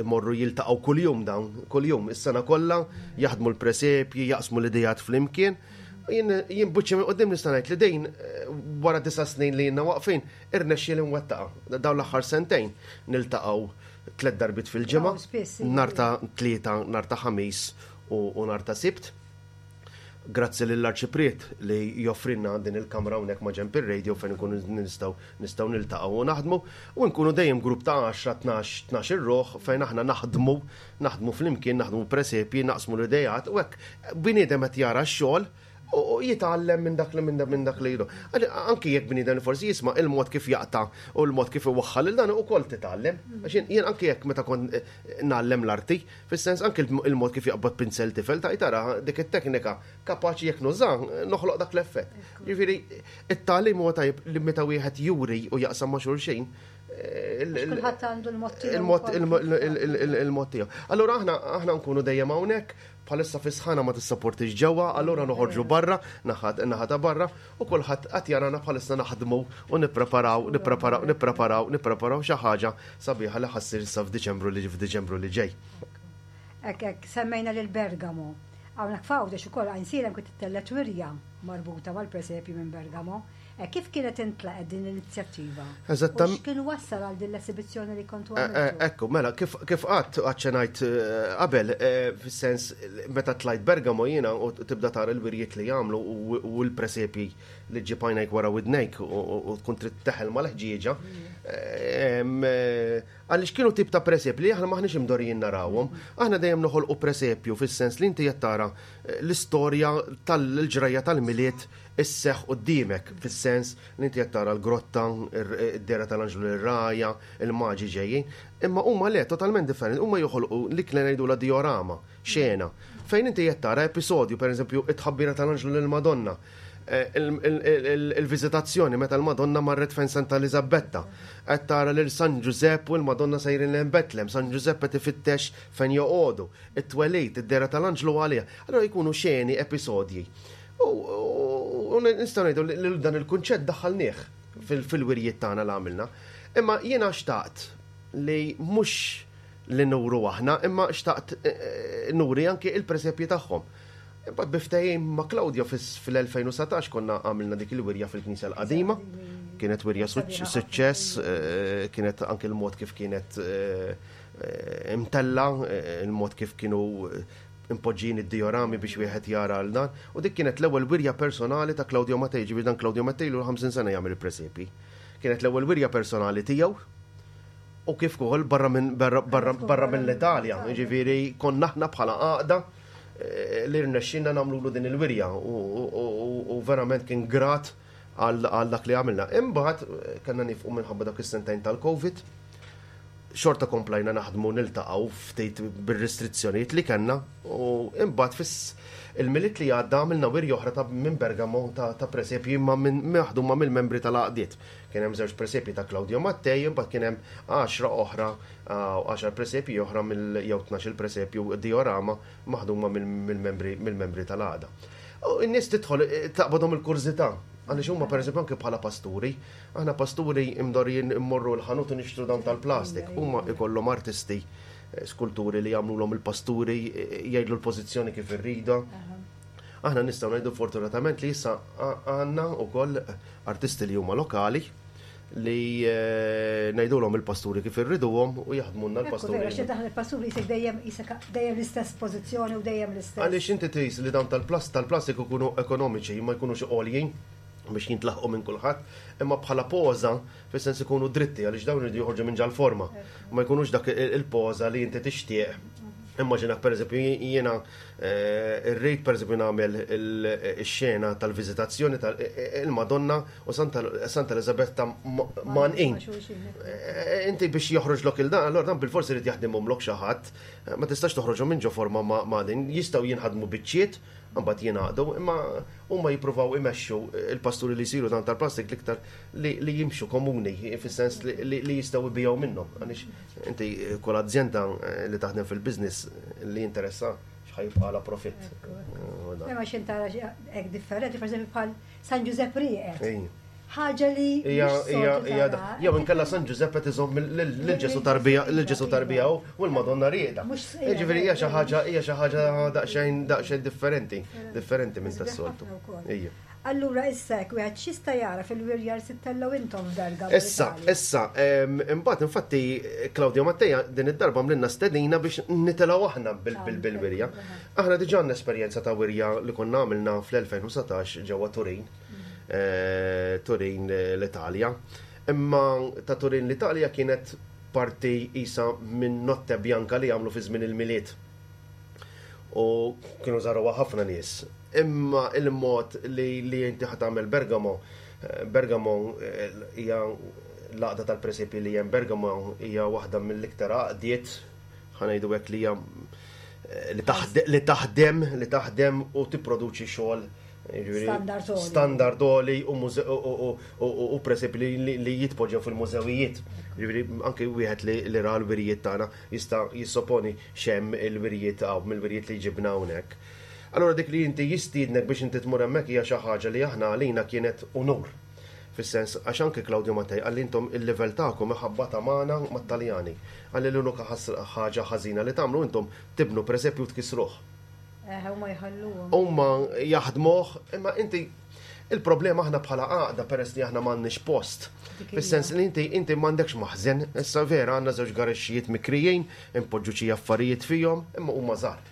imorru jiltaqgħu kuljum dawn, kuljum is-sena kollha, jaħdmu l-presepji, jaqsmu l-ideat flimkien. Jien jien buċċi minn quddiem nista' ngħid li din wara disa' snin li ilna waqfin irnexxieli nwettaqha. Dawn l-aħħar sentejn niltaqgħu tliet darbiet fil-ġimgħa, nhar ta' Tlieta, nhar ta' Ħamis u nhar ta' Sibt. Grazzi lill-Arċipriet li joffrilna din il-kamra hawnhekk ma' ġenb ir-radio fejn inkunu nistgħu nistgħu niltaqgħu u naħdmu u nkunu dejjem grupp ta' 10, 12, 12 ir-ruħ fejn aħna naħdmu, naħdmu flimkien, naħdmu presepji, naqsmu l-ideat u hekk bniedem qed jara x-xogħol u jitgħallem minn dak li minn dak li jdu. Anki jekk bniedem li forsi jisma' il-mod kif jaqta' u l-mod kif iwaħħal il dan ukoll titgħallem. Għax jien anki jekk meta kont ngħallem l-arti, Fis-sens anke il-mod kif jaqbad pinsel tifel ta' tara dik it-teknika kapaċi jekk nuża noħloq dak l-effett. Ġifieri it-tagħlim huwa tajjeb li meta wieħed juri u jaqsam ma' xulxin. Eh, Kulħadd għandu l-mod tiegħu. Il-mod tiegħu. Allura aħna aħna nkunu dejjem hawnhekk bħalissa fi sħana ma tissapportix ġewwa, allura noħorġu barra, naħat naħa ta' barra, u kulħadd qed jarana bħalissa naħdmu u nippreparaw, nippreparaw, nippreparaw, nippreparaw xi ħaġa sabiħa li ħa ssir issa f'Diċembru li f'Diċembru li ġej. Hekk hekk, semmejna lil Bergamo. Hawnhekk f'Għawdex ukoll Għajnsielem kien ittellgħet wirja marbuta mal-presepju minn Bergamo. Kif kienet intlaqgħet din l-inizjattiva? Eżattam. U x'kien wassal għal din l-esibizzjoni li kontu għamiltu? Ekku, mela, kif kif qatt aċċenajt qabel, fis-sens meta tlajt Bergamo jiena u tibda tara l-wirjiet li jagħmlu u l-presepji li ġġib għajnejk wara widnejk u tkun trid teħel mal-ħġieġa. Għaliex kienu tip ta' presepji li aħna maħniex imdorrijin narawhom. Aħna dejjem noħolqu presepju fis-sens li inti qed tara eh, l-istorja tal-ġrajja tal-Milied isseħħ quddiemek fis-sens li inti qed tara l-grotta, id-dera tal-anġlu lir-raja, il-maġi ġejjin. Imma huma le totalment differenti, huma joħolqu li kien ngħidulha diorama xena, fejn inti qed tara episodju, pereżempju, it-tħabbira tal-anġlu lill-Madonna, eh, il-viżitazzjoni meta l-Madonna marret fejn Santa Eliżabetta, qed tara lil San Ġużepp u l-Madonna sejrin lejn Betlem, San Ġużepp qed ifittex fejn joqogħdu, it-twelid, id-dehra tal-anġlu għaliha. Allura jkunu xeni, episodji. U nistgħu ngħidu li dan il-kunċett daħħalnieh fil-wirjiet tagħna li għamilna. Imma jiena xtaqt li mhux li nuru aħna, imma xtaqt eh, eh, nuri anki il-presepji tagħhom. Imbagħad bi ftehim ma' Claudio fil-2019 konna għamilna dik il-wirja fil-Knisja l-Qadima. Kienet wirja suċċess, eh, kienet anki l-mod kif kienet imtella, il-mod kif kienu impoġġin id-diorami biex wieħed jara għal dan. U dik kienet l-ewwel wirja personali ta' Claudio Mattei, ġifieri dan Claudio Mattei ilu 50 sena jagħmel il-presepi. Kienet l-ewwel wirja personali tiegħu u kif ukoll barra minn barra, barra, barra mill-Italja, ġifieri konna aħna bħala għaqda eh, li rnexxinna nagħmlulu din il-wirja u, u, u, u verament kien grat għal dak li għamilna. Imbagħad eh, kellna nifqu minħabba dak is-sentejn tal-Covid. Xorta komplajna naħdmu niltaqgħu ftit bir-restrizzjonijiet li kellna u imbagħad fis il-Milied li għadda għamilna wirja oħra ta' minn Bergamo ta', ta presepji ma minn maħduma mill-membri tal-għaqdiet. Kien hemm żewġ presepji ta' Claudio Mattei, imbagħad kien hemm 10 oħra, 10 presepji oħra mill jew 12 presepju diorama maħduma mill-membri mill-membri tal-għaqda. U n-nies tidħol taqbadhom il-kurżità għaliex huma pereżempju anke bħala pasturi, aħna pasturi imdorrijin immorru l-ħanut u nixtru dawn tal-plastik, huma ikollhom artisti eh, skulturi li jagħmlulhom il-pasturi eh, jgħidlu l-pożizzjoni kif irrida. Aħna nistgħu ngħidu fortunatament li issa għandna wkoll artisti li huma lokali li eh, ngħidulhom il-pasturi kif irriduhom u jaħdmulna l-pasturi. Vera, xi daħal il-pasturi jisek dejjem jisek dejjem l-istess pożizzjoni u dejjem l-istess. Għaliex inti tqis li dawn tal-plast tal-plastik ikunu ekonomiċi ma jkunux għoljin biex jintlaħqu minn kulħadd, imma bħala poża fis-sens ikunu dritti għaliex dawn iridu joħorġu minn ġal-forma. Ma jkunux dak il-poża li inti tixtieq. Immaġina pereżempju jiena eh, rrid pereżempju nagħmel ix-xena tal-viżitazzjoni tal-Madonna u Santa Elizabetta manqin. Eh, inti biex joħroġlok il-dan, allora dan bil-forsi irid jaħdimhomlok xi ħadd, eh, ma tistax toħroġhom minn ġo forma ma' din, jistgħu jinħadmu biċċiet, mbagħad jingħaqdu, imma huma jippruvaw imexxu il-pasturi li jsiru dan tal-plastik l-iktar li jimxu komuni, fis-sens li jistgħu jbigħu minnhom. Għaliex inti kull azjenda eh, li taħdem fil-business li jinteressa x'ħa jibqagħla profitt. Imma x'int tara hekk differenti, pereżempju bħal San Ġużepp rieqed. Ħaġa li. Ija, ija, ija, jew inkella San Ġużepp qed iżomm lil Ġesu tarbija, lil Ġesu tarbija u l-Madonna rieqda. Jiġifieri hija xi ħaġa, hija xi ħaġa daqsxejn daqsxejn differenti, differenti minn tas-soltu. Ija. Allura issa hekk wieħed x'jista' jara fil-wirja li se ttellgħu intom f'Bergamo? Issa, issa, imbagħad infatti Claudio Matteja din id-darba għamlilna stedina biex nitilgħu aħna bil-wirja. Aħna diġà għandna esperjenza ta' wirja li konna għamilna fl-2019 ġewwa Turin, eh, Turin eh, l-Italja. Imma ta' Turin l-Italja kienet parti isa minn Notte Bianca li għamlu fi żmien il-Milied. U kienu żaruha ħafna nies. Imma il-mod li, li inti ħa tagħmel Bergamo, eh, Bergamo hija l-għaqda tal-presepi li hemm Bergamo hija waħda mill-iktar għaqdiet ħa ngħidu hekk li hija eh, li taħdem li taħdem u tipproduċi xogħol standard għoli u presip li jitpoġġew fil-mużewijiet. Ġifieri anke wieħed li ra l-wirijiet tagħna jista' jissoponi x'hemm il-wirijiet hawn mill-wirijiet li ġibna hawnhekk. Allura dik li inti jistiednek biex inti tmur hemmhekk hija xi ħaġa li aħna għalina kienet unur. Fis-sens, għax anke Claudio Mattei qalli intom il-livell tagħkom iħabbatha magħna mat-Taljani. Qalli l-unika ħaġa ħażina li tagħmlu intom tibnu presepju u tkissruh. Eħe, huma jħalluhom. Huma jaħdmuh, imma inti il-problema aħna bħala għaqda peress li aħna m'għandniex post. Fis-sens li inti inti m'għandekx maħżen, issa vera għandna żewġ garexxijiet mikrijin, inpoġġu xi affarijiet fihom, imma huma żgħar.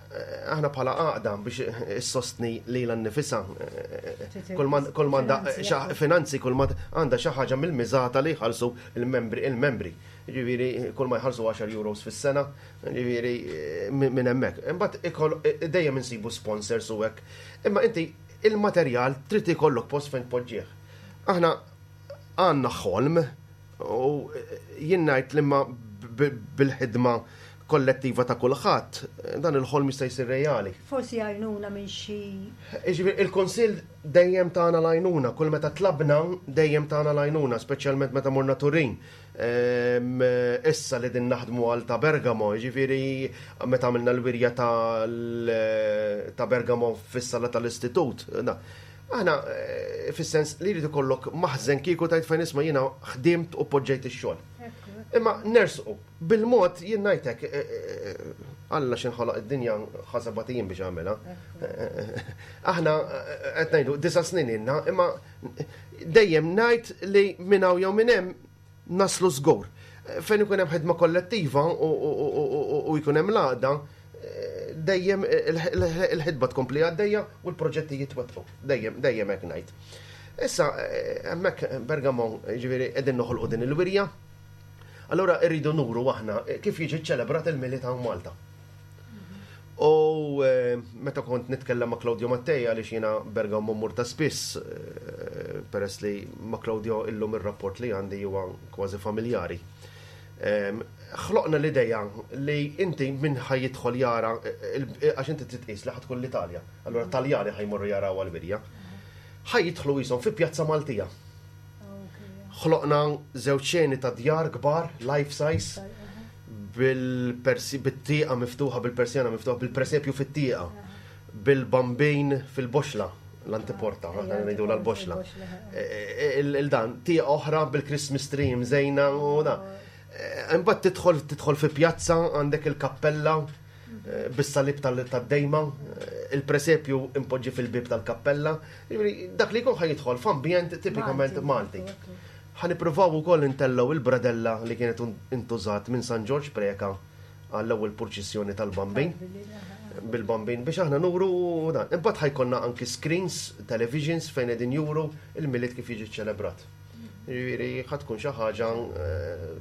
Eh, aħna bħala għaqda biex issostni lilha nnifisha eh, kull m'għandha finanzi kull ma għandha xi ħaġa mill-miżata li jħallsu il-membri il-membri. Ġifieri kull ma jħallsu 10 euros fis-sena, ġifieri eh, minn hemmhekk. Imbagħad dejjem insibu sponsors u hekk. Imma inti il-materjal trid ikollok post fejn tpoġġih. Aħna għandna ħolm u jien ngħid li ma bil-ħidma kollettiva ta' kulħadd, dan il-ħolm jista' jsir reali. Forsi għajnuna minn xi. Jiġifieri il-Kunsill dejjem tana l-għajnuna, kull meta tlabna dejjem tana l-għajnuna, speċjalment meta morna Turin. Ehm, issa li din naħdmu għal ta' Bergamo, jiġifieri meta għamilna l-wirja ta' Bergamo fis-sala tal-istitut. Aħna eh, fis-sens li jrid ikollok maħżen kieku tajt fejn isma' jiena ħdimt u poġġejt ix-xogħol. Imma nersqu Bil-mod jien ngħidlek, Alla x'inħoloq id-dinja ħa sebat ijiem biex għamilha. Aħna qed ngħidu disa' snin ilna, imma dejjem ngħid li minn hawn jew minn hemm naslu żgur. Fejn ikun hemm ħidma kollettiva u jkun hemm l-għaqda, dejjem il-ħidba tkompli għaddejja u l-proġetti jitwettqu. Dejjem, dejjem hekk ngħid. Issa, hemmhekk Bergamo, ġifieri qegħdin noħolqu din il-wirja. Allura rridu nuru aħna kif jiġi ċelebrat il-Milied hawn Malta. U meta kont nitkellem ma' Claudio Mattei għaliex jiena Bergamo mmur ta' spiss peress li ma' Claudio illum ir-rapport li għandi huwa kważi familjari. Ħloqna l-ideja li inti min ħa jidħol jara għax inti trid tqis li ħa tkun l-Italja. Allura Taljani ħa jmorru jaraw għall-wirja. Ħa jidħlu qishom fi pjazza Maltija. Ħloqna żewġ xeni ta' djar kbar, life size, bil-tieqa miftuħa, bil-persjana miftuħa, bil-presepju fit-tieqa, bil-bambin fil-boxla, l-antiporta, aħna ngħidu l-boxla. Il-dan, tieqa oħra bil-Christmas tree mżejna u da. Imbagħad tidħol tidħol fi pjazza għandek il-kappella bis-salib tad-dejma, il-presepju impoġġi fil-bib tal-kappella. Dak li jkun ħa jidħol f'ambjent tipikament Malti. Ħa nippruvaw ukoll intellgħu il-bradella li kienet intużat minn San Ġorġ Preca għall-ewwel purċissjoni tal-Bambin bil-Bambin biex aħna nuru dan. Imbagħad ħa jkollna anki screens, televisions fejn qegħdin juru il-Milied kif jiġi ċelebrat. Jiġifieri ħa tkun xi ħaġa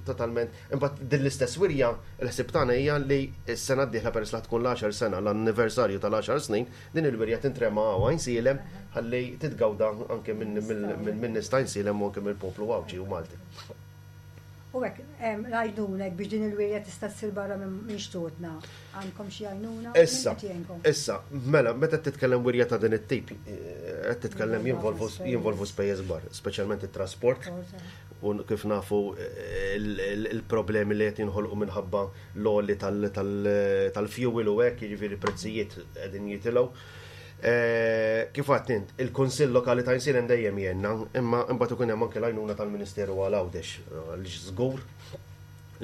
totalment. Imbagħad din l-istess wirja il-ħsieb tagħna hija li s-sena d-dieħla peress li tkun l-10 sena l-anniversarju tal-10 snin, din il-wirja tintrema hawn Għajnsielem ħalli titgawda anke minn nies ta' Għajnsielem u anke mill-poplu Għawdxi u Malti. U hekk, l-għajnuna hekk biex din il-wirja tista' ssir barra minn xtutna, għandkom xi għajnuna? Issa, issa, mela, meta titkellem wirja ta' din it-tip, qed titkellem jinvolvu spejjeż kbar, speċjalment it-trasport, u kif nafu il-problemi li qed jinħolqu minħabba l-għoli tal-fuel u hekk, jiġifieri prezzijiet qegħdin jitilgħu. Kif għedt int, il-Kunsill Lokali ta' Għajnsielem dejjem jgħinna, imma imbagħad ikun hemm anke l-għajnuna tal-Ministeru għal Għawdex, għaliex żgur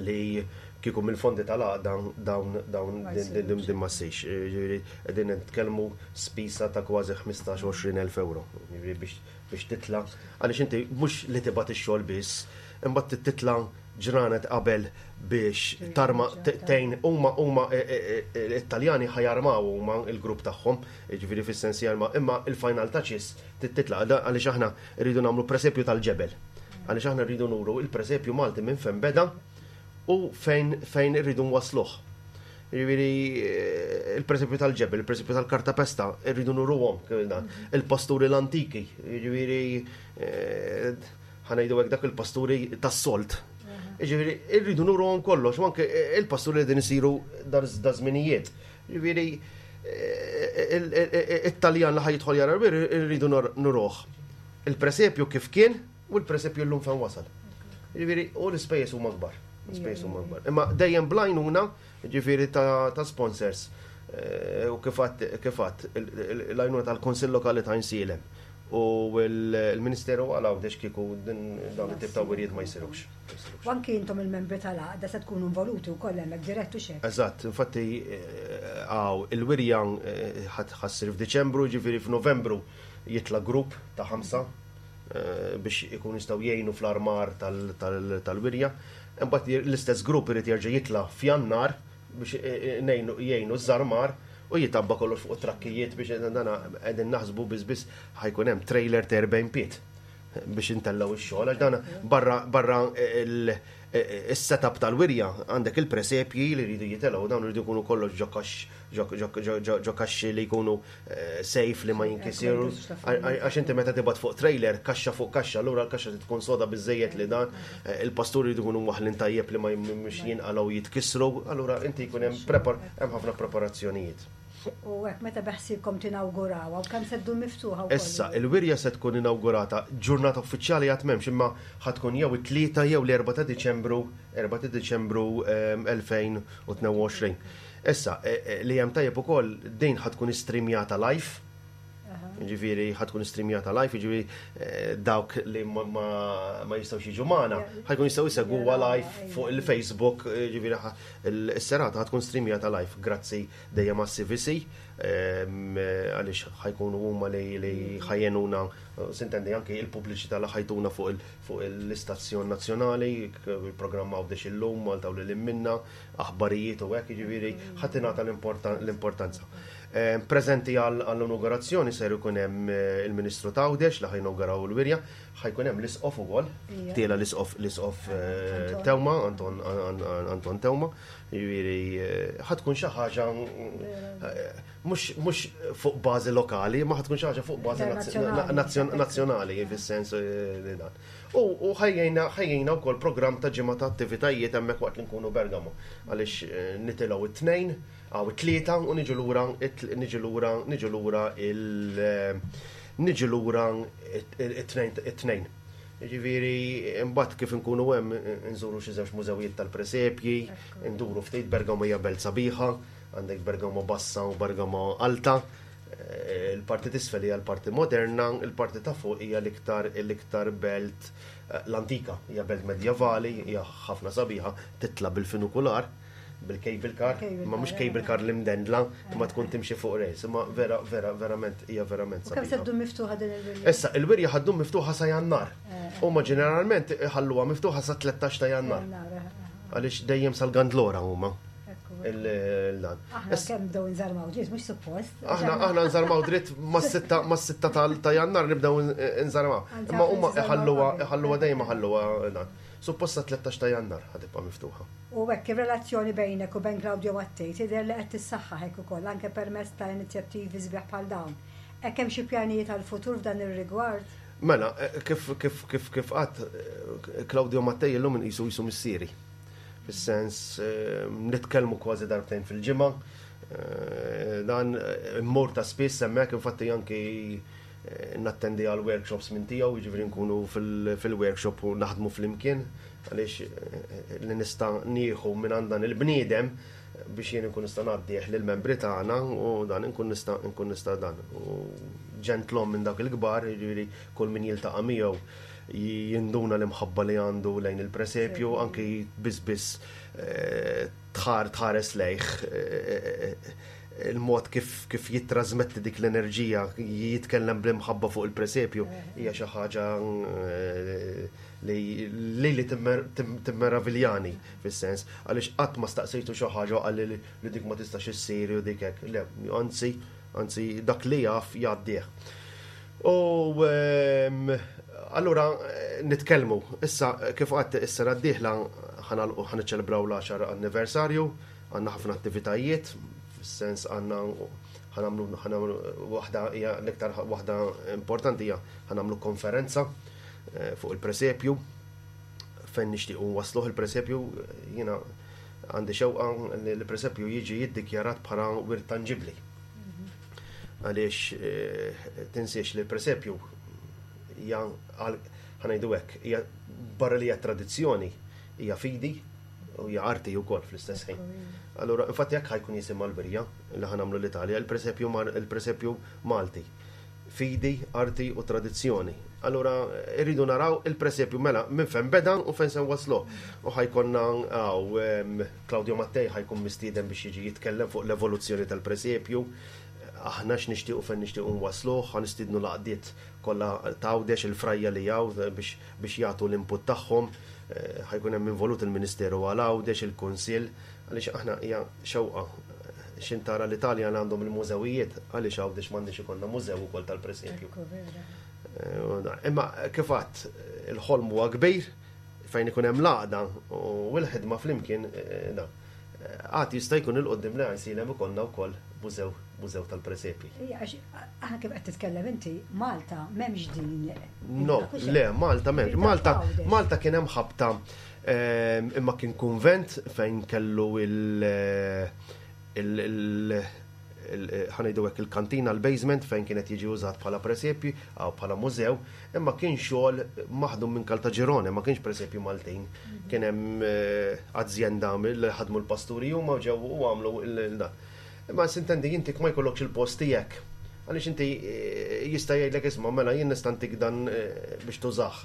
li kieku mill-fondi tal-għaqda dawn dawn din ma ssirx. Jiġifieri qegħdin nitkellmu spiża ta' kważi 15-20 elf euro jiġifieri biex biex titla' għaliex inti mhux li tibgħat ix-xogħol biss, imbagħad trid titla' ġranet qabel biex tarma tgħin huma huma it-Taljani ħa jarmaw huma l-grupp tagħhom, jiġifieri fis-sens jarma, imma il-final touches trid titla' għaliex aħna rridu nagħmlu presepju tal-ġebel. Għaliex aħna rridu nuru il-presepju Malti minn fejn beda u fejn fejn irridu nwassluh. Jiġifieri il-presepju tal-ġebel, il-presepju tal-kartapesta, irridu nuruhom il-pasturi l-antiki, jiġifieri ħa ngħidu hekk dak il-pasturi tas-solt. Jiġifieri irridu nuruhom kollox, u anke il-pasturi li din isiru da żminijiet. Jiġifieri it-Taljan li ħa jidħol jara irridu nuruh. Il-presepju kif kien u l-presepju llum fejn wasal. Jiġifieri u l-ispejjeż huma kbar. L-ispejjeż huma kbar. Imma dejjem bl-għajnuna jiġifieri ta' sponsors u kif għedt l-għajnuna tal-Kunsill Lokali ta' Għajnsielem u l-Ministeru għal Għawdex kieku dawn it-tip ta' wirjiet ma jsirux. U anki intom il-membri tal-għaqda se tkunu involuti wkoll hemmhekk dirett u x'hekk? Eżatt, infatti hawn il-wirja ħa ssir f'Diċembru, jiġifieri f'Novembru jitla' grupp ta' ħamsa biex ikunu jistgħu jgħinu fl-armar tal-wirja. Imbagħad l-istess grupp irid jerġa' jitla' f'Jannar biex jgħinu ż-żarmar u jitabba kollox fuq it-trakkijiet biex dana qegħdin naħsbu biss biss ħa jkun hemm trailer ta' 40 pied biex intellgħu x-xogħol għax dana barra barra is-setup tal-wirja għandek il-presepji li jridu jitelgħu dawn iridu jkunu kollox ġo ġo kaxxi li jkunu safe li ma jinkisiru. Għax inti meta tibgħat fuq trailer, kaxxa fuq kaxxa, allura l-kaxxa trid tkun soda biżejjed li dan, il-pasturi jridu jkunu mwaħħlin tajjeb li ma mhux jinqalgħu jitkissru, allura inti jkun hemm prepar hemm ħafna preparazzjonijiet. U hekk meta beħsiebkom tinawgurawha u kemm se ddum miftuħa wkoll? Issa, il-wirja se tkun inawgurata, ġurnata uffiċjali għad m'hemmx imma ħa tkun jew it-Tlieta jew l-Erbgħa ta' Diċembru, 4 ta' Diċembru 2022. Issa, li hemm tajjeb ukoll din ħa tkun istreamjata live. Ġifieri ħa tkun streamjata live, ġifieri dawk li ma jistgħux jiġu magħna, ħa jkun jistgħu jsegwuha live fuq il-Facebook, ġifieri is-serata ħa tkun streamjata live, grazzi dejjem għas-CVC, għaliex ħa jkunu huma li ħa jgħinuna, s'intendi anki il-pubbliċità li ħa jtuna fuq l-istazzjon nazzjonali, il-programm Għawdex illum, Malta u lil minna, aħbarijiet u hekk, ġifieri ħa tingħata l-importanza. Preżenti għall-inaugurazzjoni ser ikun hemm il-Ministru t'Għawdex li ħa jinauguraw il-wirja, ħa jkun hemm l-Isqof ukoll, tiela l-Isqof Teuma, Anton Teuma, ġifieri ħa tkun xi ħaġa mhux fuq bażi lokali, ma ħa tkun xi ħaġa fuq bażi nazzjonali, fis-sens li dan. U ħajjejna wkoll programm ta' ġimgħa ta' attivitajiet hemmhekk waqt li nkunu Bergamo, għaliex nitilgħu it-Tnejn, għaw it-Tlieta u niġu lura niġu lura niġu lura il niġu lura it-Tnejn. Ġifieri imbagħad kif inkunu hemm nżuru xi żewġ mużewijiet tal-presepji, nduru ftit. Bergamo hija belt sabiħa, għandek Bergamo Bassa u Bergamo Alta. Il-parti t'isfel hija l-parti moderna, il-parti ta' fuq hija l-iktar belt l-antika, hija belt medjevali, hija ħafna sabiħa, titla' bil-funikular, bil-cable car, ma mhux cable car li mdendla, imma tkun timxi fuq rails, imma vera, vera, verament, hija verament U kemm sabiħa. se ddum miftuħa din il-wirja? Issa, il-wirja ħa ddum miftuħa sa Jannar. Huma ġeneralment ħalluha miftuħa sa 13 ta' Jannar. Jannar. Għaliex dejjem sal-Gandlora huma. Il-dan. Aħna kemm bdew nżarmaw ġiet, mhux suppost. Aħna nżarmaw dritt mas-6 ta' Jannar nibdew nżarmaw. Anzi, Imma huma aħna nżarmaw iħalluha qabel. iħalluha dejjem iħalluha dan. Suppost sa 13 ta' Jannar ħa tibqa' miftuħa. U hekk ir-relazzjoni bejnek u bejn Claudio Mattei tidher li qed tissaħħaħ hekk ukoll anke permezz ta' inizjattivi sbieħ bħal dawn. Hekk hemm xi pjanijiet għall-futur f'dan ir-rigward? Mela, kif qatt Claudio Mattei illum inqisu jisu missieri. Fis-sens nitkellmu kważi darbtejn fil-ġimgħa. Dan immur ta' spiss hemmhekk, infatti anki nattendi għal workshops minn tiegħu, jiġifieri nkunu fil-workshop u naħdmu flimkien, għaliex li nista' nieħu minn għand dan il-bniedem biex jien nkun nista' ngħaddih lill-membri tagħna u dan nkun nista' dan. U ġentlom minn dak il-kbar, jiġifieri kull min jiltaqa' miegħu jinduna l-imħabba li għandu lejn il-presepju, anki biss biss tħares lejh il-mod kif jittrażmetti dik l-enerġija, jitkellem bl-imħabba fuq il-presepju, hija xi ħaġa li timmeraviljani fis-sens, għaliex qatt ma staqsejtu xi ħaġa qalli li dik ma tistax issir u dik hekk. Le, anzi dak li jaf jgħaddih. U allura nitkellmu, issa kif qatt is-sena d-dieħla ħa niċċelebraw l-10 anniversarju, għandna ħafna attivitajiet, fis-sens għandna ħa nagħmlu waħda hija l-iktar waħda importanti hija ħa nagħmlu konferenza fuq il-presepju fejn nixtiequ wasluh il-presepju. Jiena għandi xewqa li l-presepju jiġi jiddikjarat bħala wirt tanġibli. Għaliex tinsiex li l-presepju hija ħa ngħidu hekk, hija barra li hija tradizzjoni, hija fidi u hija arti wkoll fl-istess ħin. Allura, infatti jekk ħa jkun jisimha l-wirja li ħa nagħmlu l-Italja, il-presepju Malti. Fidi, arti u tradizzjoni. Allura, irridu naraw il-presepju mela minn fejn beda u fejn se waslu. U ħa jkollna għaw Claudio Mattei ħa jkun mistieden biex jiġi jitkellem fuq l-evoluzzjoni tal-presepju. Aħna x'nixtiequ fejn nixtiequ nwasluh, ħa nistiednu l-għaqdiet kollha t'Għawdex, il-frajja li hawn biex jagħtu l-input tagħhom. Ħa jkun hemm involut il-Ministeru għal Għawdex, il-Kunsill, għaliex aħna hija xewqa xintara l-Italja li għandhom il-mużewijiet, għaliex Għawdex m'għandix ikollna mużew ukoll tal-presepju. Imma kif għadt, il-ħolm huwa kbir fejn ikun hemm l-għaqda u l-ħidma flimkien da. Għad jista' jkun il-qoddim li għajsilem ikollna wkoll mużew tal-presepi. Ija, għax aħna kif qed titkellem inti, Malta m'hemmx din. No, le, Malta m'hemmx. Malta kien hemm ħabta imma kien kunvent fejn kellu ħa ngħidu hekk il-kantina, l-basement fejn kienet jiġi użat bħala presepju għaw bħala mużew, imma kien xogħol maħdum minn Caltagirone, ma kienx presepju Maltin. Kien hemm azjenda li ħadmu l-pasturi huma u ġew u għamlu il-dan. Imma s'intendi inti ma jkollokx il-post tiegħek. Għaliex inti eh, jista' jgħidlek isma' mela jien nista' ntik dan eh, biex tużah.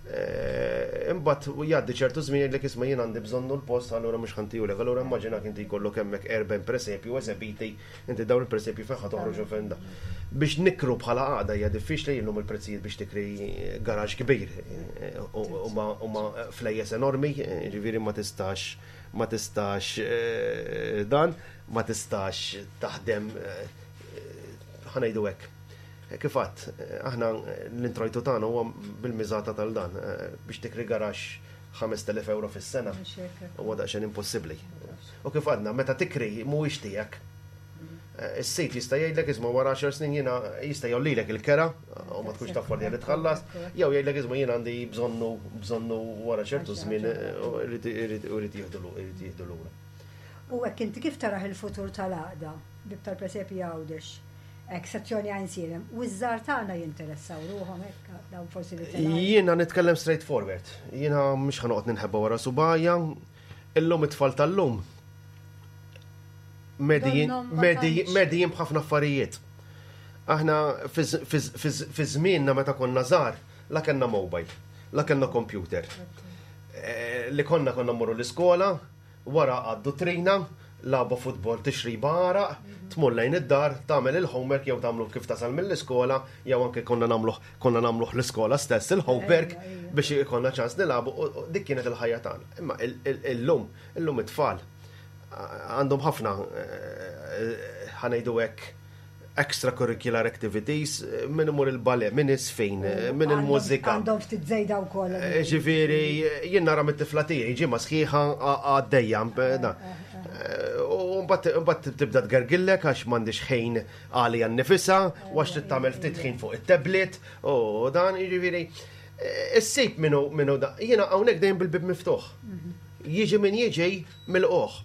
Eh, imbagħad jgħaddi ċertu żmien jgħidlek isma' jien għandi bżonnu l-post allura mhux ħantihulek. Allura immaġinak inti jkollok hemmhekk 40 presepju esebiti, inti dawn il-presepju fejn ħa toħroġ u fejn da. Biex nikru bħala għaqda hija diffiċli illum il-prezzijiet biex tikri garaġ kbir huma flejjes enormi, ġifieri ma tistax ma tistax dan, ma tistax taħdem ħa ngħidu hekk. Kif għadt, aħna l-introjtu tagħna huwa bil-miżata tal-dan biex tikri garaxx 5,000 euro fis-sena huwa daqsxejn impossibbli. U kif għadna, meta tikri mhuwiex tiegħek. Is-sid jista' jgħidlek isma' wara 10 snin jiena jista' jgħollilek il-kera u ma tkunx taffordja li tħallas, jew jgħidlek isma' jiena għandi bżonnu bżonnu wara ċertu żmien u rrid jieħdu lura. U hekk inti kif tarah il-futur tal-għaqda Bieb tal-Presepji Għawdex? Hekk sezzjoni Għajnsielem. U ż-żgħar tagħna jinteressaw ruħhom hekk dawn forsi li telgħin. Jiena nitkellem straight forward. Jiena mhux ħa noqgħod ninħeba wara subgħajja. Illum it-tfal tal-lum medijin b'ħafna affarijiet. Aħna fi żmienna meta konna żgħar la kellna mobile, la kellna computer. Eh, li konna konna mmorru l-iskola, Wara għad-duttrina, lagħba futbol, tixriba għaraq, tmur lejn id-dar, tagħmel il-homework jew tagħmlu kif tasal mill-iskola, jew anke konna nagħmluh konna nagħmluh l-iskola stess il-homework biex ikollna ċans nilagħbu u dik kienet il-ħajja tagħna. Imma illum, illum it-tfal għandhom ħafna ħa ngħidu hekk extracurricular activities, min imur il-ballet, min isfin, min il-mużika. Għandhom ftit żejda wkoll. Eh, ġifieri, jien nara mit-tifla tiegħi ġimgħa sħiħa għaddejja. Eh, eh, u mbagħad tibda tgergillek għax m'għandix ħin għalija nnifisha, u għax trid tagħmel ftit ħin fuq it-tablet, u dan jiġifieri. Issib minnu minnu da. Jiena hawnhekk dejjem bil-bib miftuħ. Mhm. Jiġi min jiġi mill-qoħ.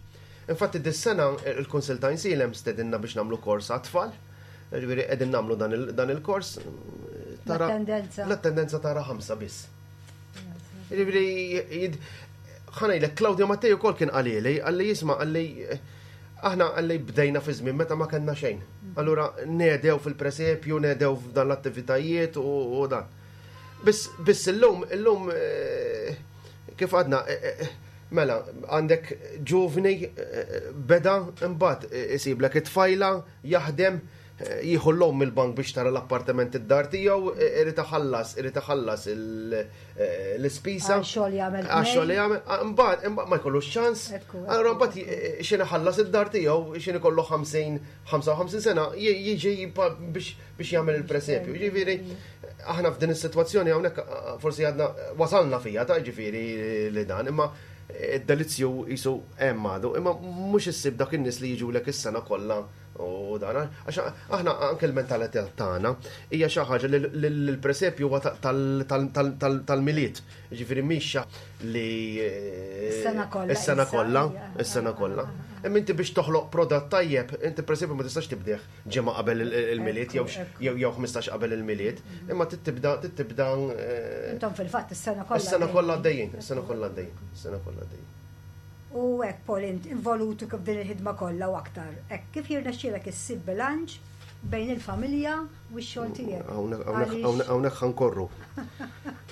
Infatti dis-sena il-Kunsill ta' Għajnsielem stedinna biex nagħmlu kors għat-tfal. Ġifieri qegħdin nagħmlu dan il-kors. L-attendenza. L-attendenza tara ħamsa biss. Ġifieri ħa ngħidlek Claudio Mattei ukoll kien qalili, qalli jisma' qalli aħna qalli bdejna fi żmien meta ma kellna xejn. Allura nedew fil-presepju, nedew f'dan l-attivitajiet u dan. Biss biss illum illum eh, kif għadna eh, eh, Mela, għandek ġuvni beda imbagħad isiblek it-tfajla jaħdem jieħu l-loan mill-bank biex tara l-appartament id-dar tiegħu, irid iħallas, irid iħallas l-ispisa. Għax-xogħol jagħmel. Għax-xogħol jagħmel, imbagħad ma jkollux ċans. Allura mbagħad x'in iħallas id-dar tiegħu, x'in ikollu 50, 55 sena, jiġi biex biex jagħmel il-presepju. Ġifieri, aħna f'din is-sitwazzjoni hawnhekk forsi għadna wasalna fija ta' ġifieri li dan, imma id-delizzju jisu hemm għadu, imma mhux issib dak in-nies li jiġulek is-sena kollha u dan, għax aħna anke l-mentalità tagħna hija xi ħaġa li l-presepju huwa tal-Milied. Ġifieri mhix li is-sena kollha. Is-sena kollha, is-sena kollha. Imma inti biex toħloq prodott tajjeb, inti presepju ma tistax tibdih ġimgħa qabel il-Milied jew jew 15 qabel il-Milied, imma tibda tibda. Eh, Intom fil-fatt is-sena kollha. Is-sena kollha għaddejjin, is-sena kollha għaddejjin, is-sena kollha għaddejjin. U hekk Paul int involutu kif din il-ħidma kollha u aktar. Hekk kif jirnexxielek issib bilanċ bejn il-familja u x-xogħol tiegħek. Hawnhekk ħankorru.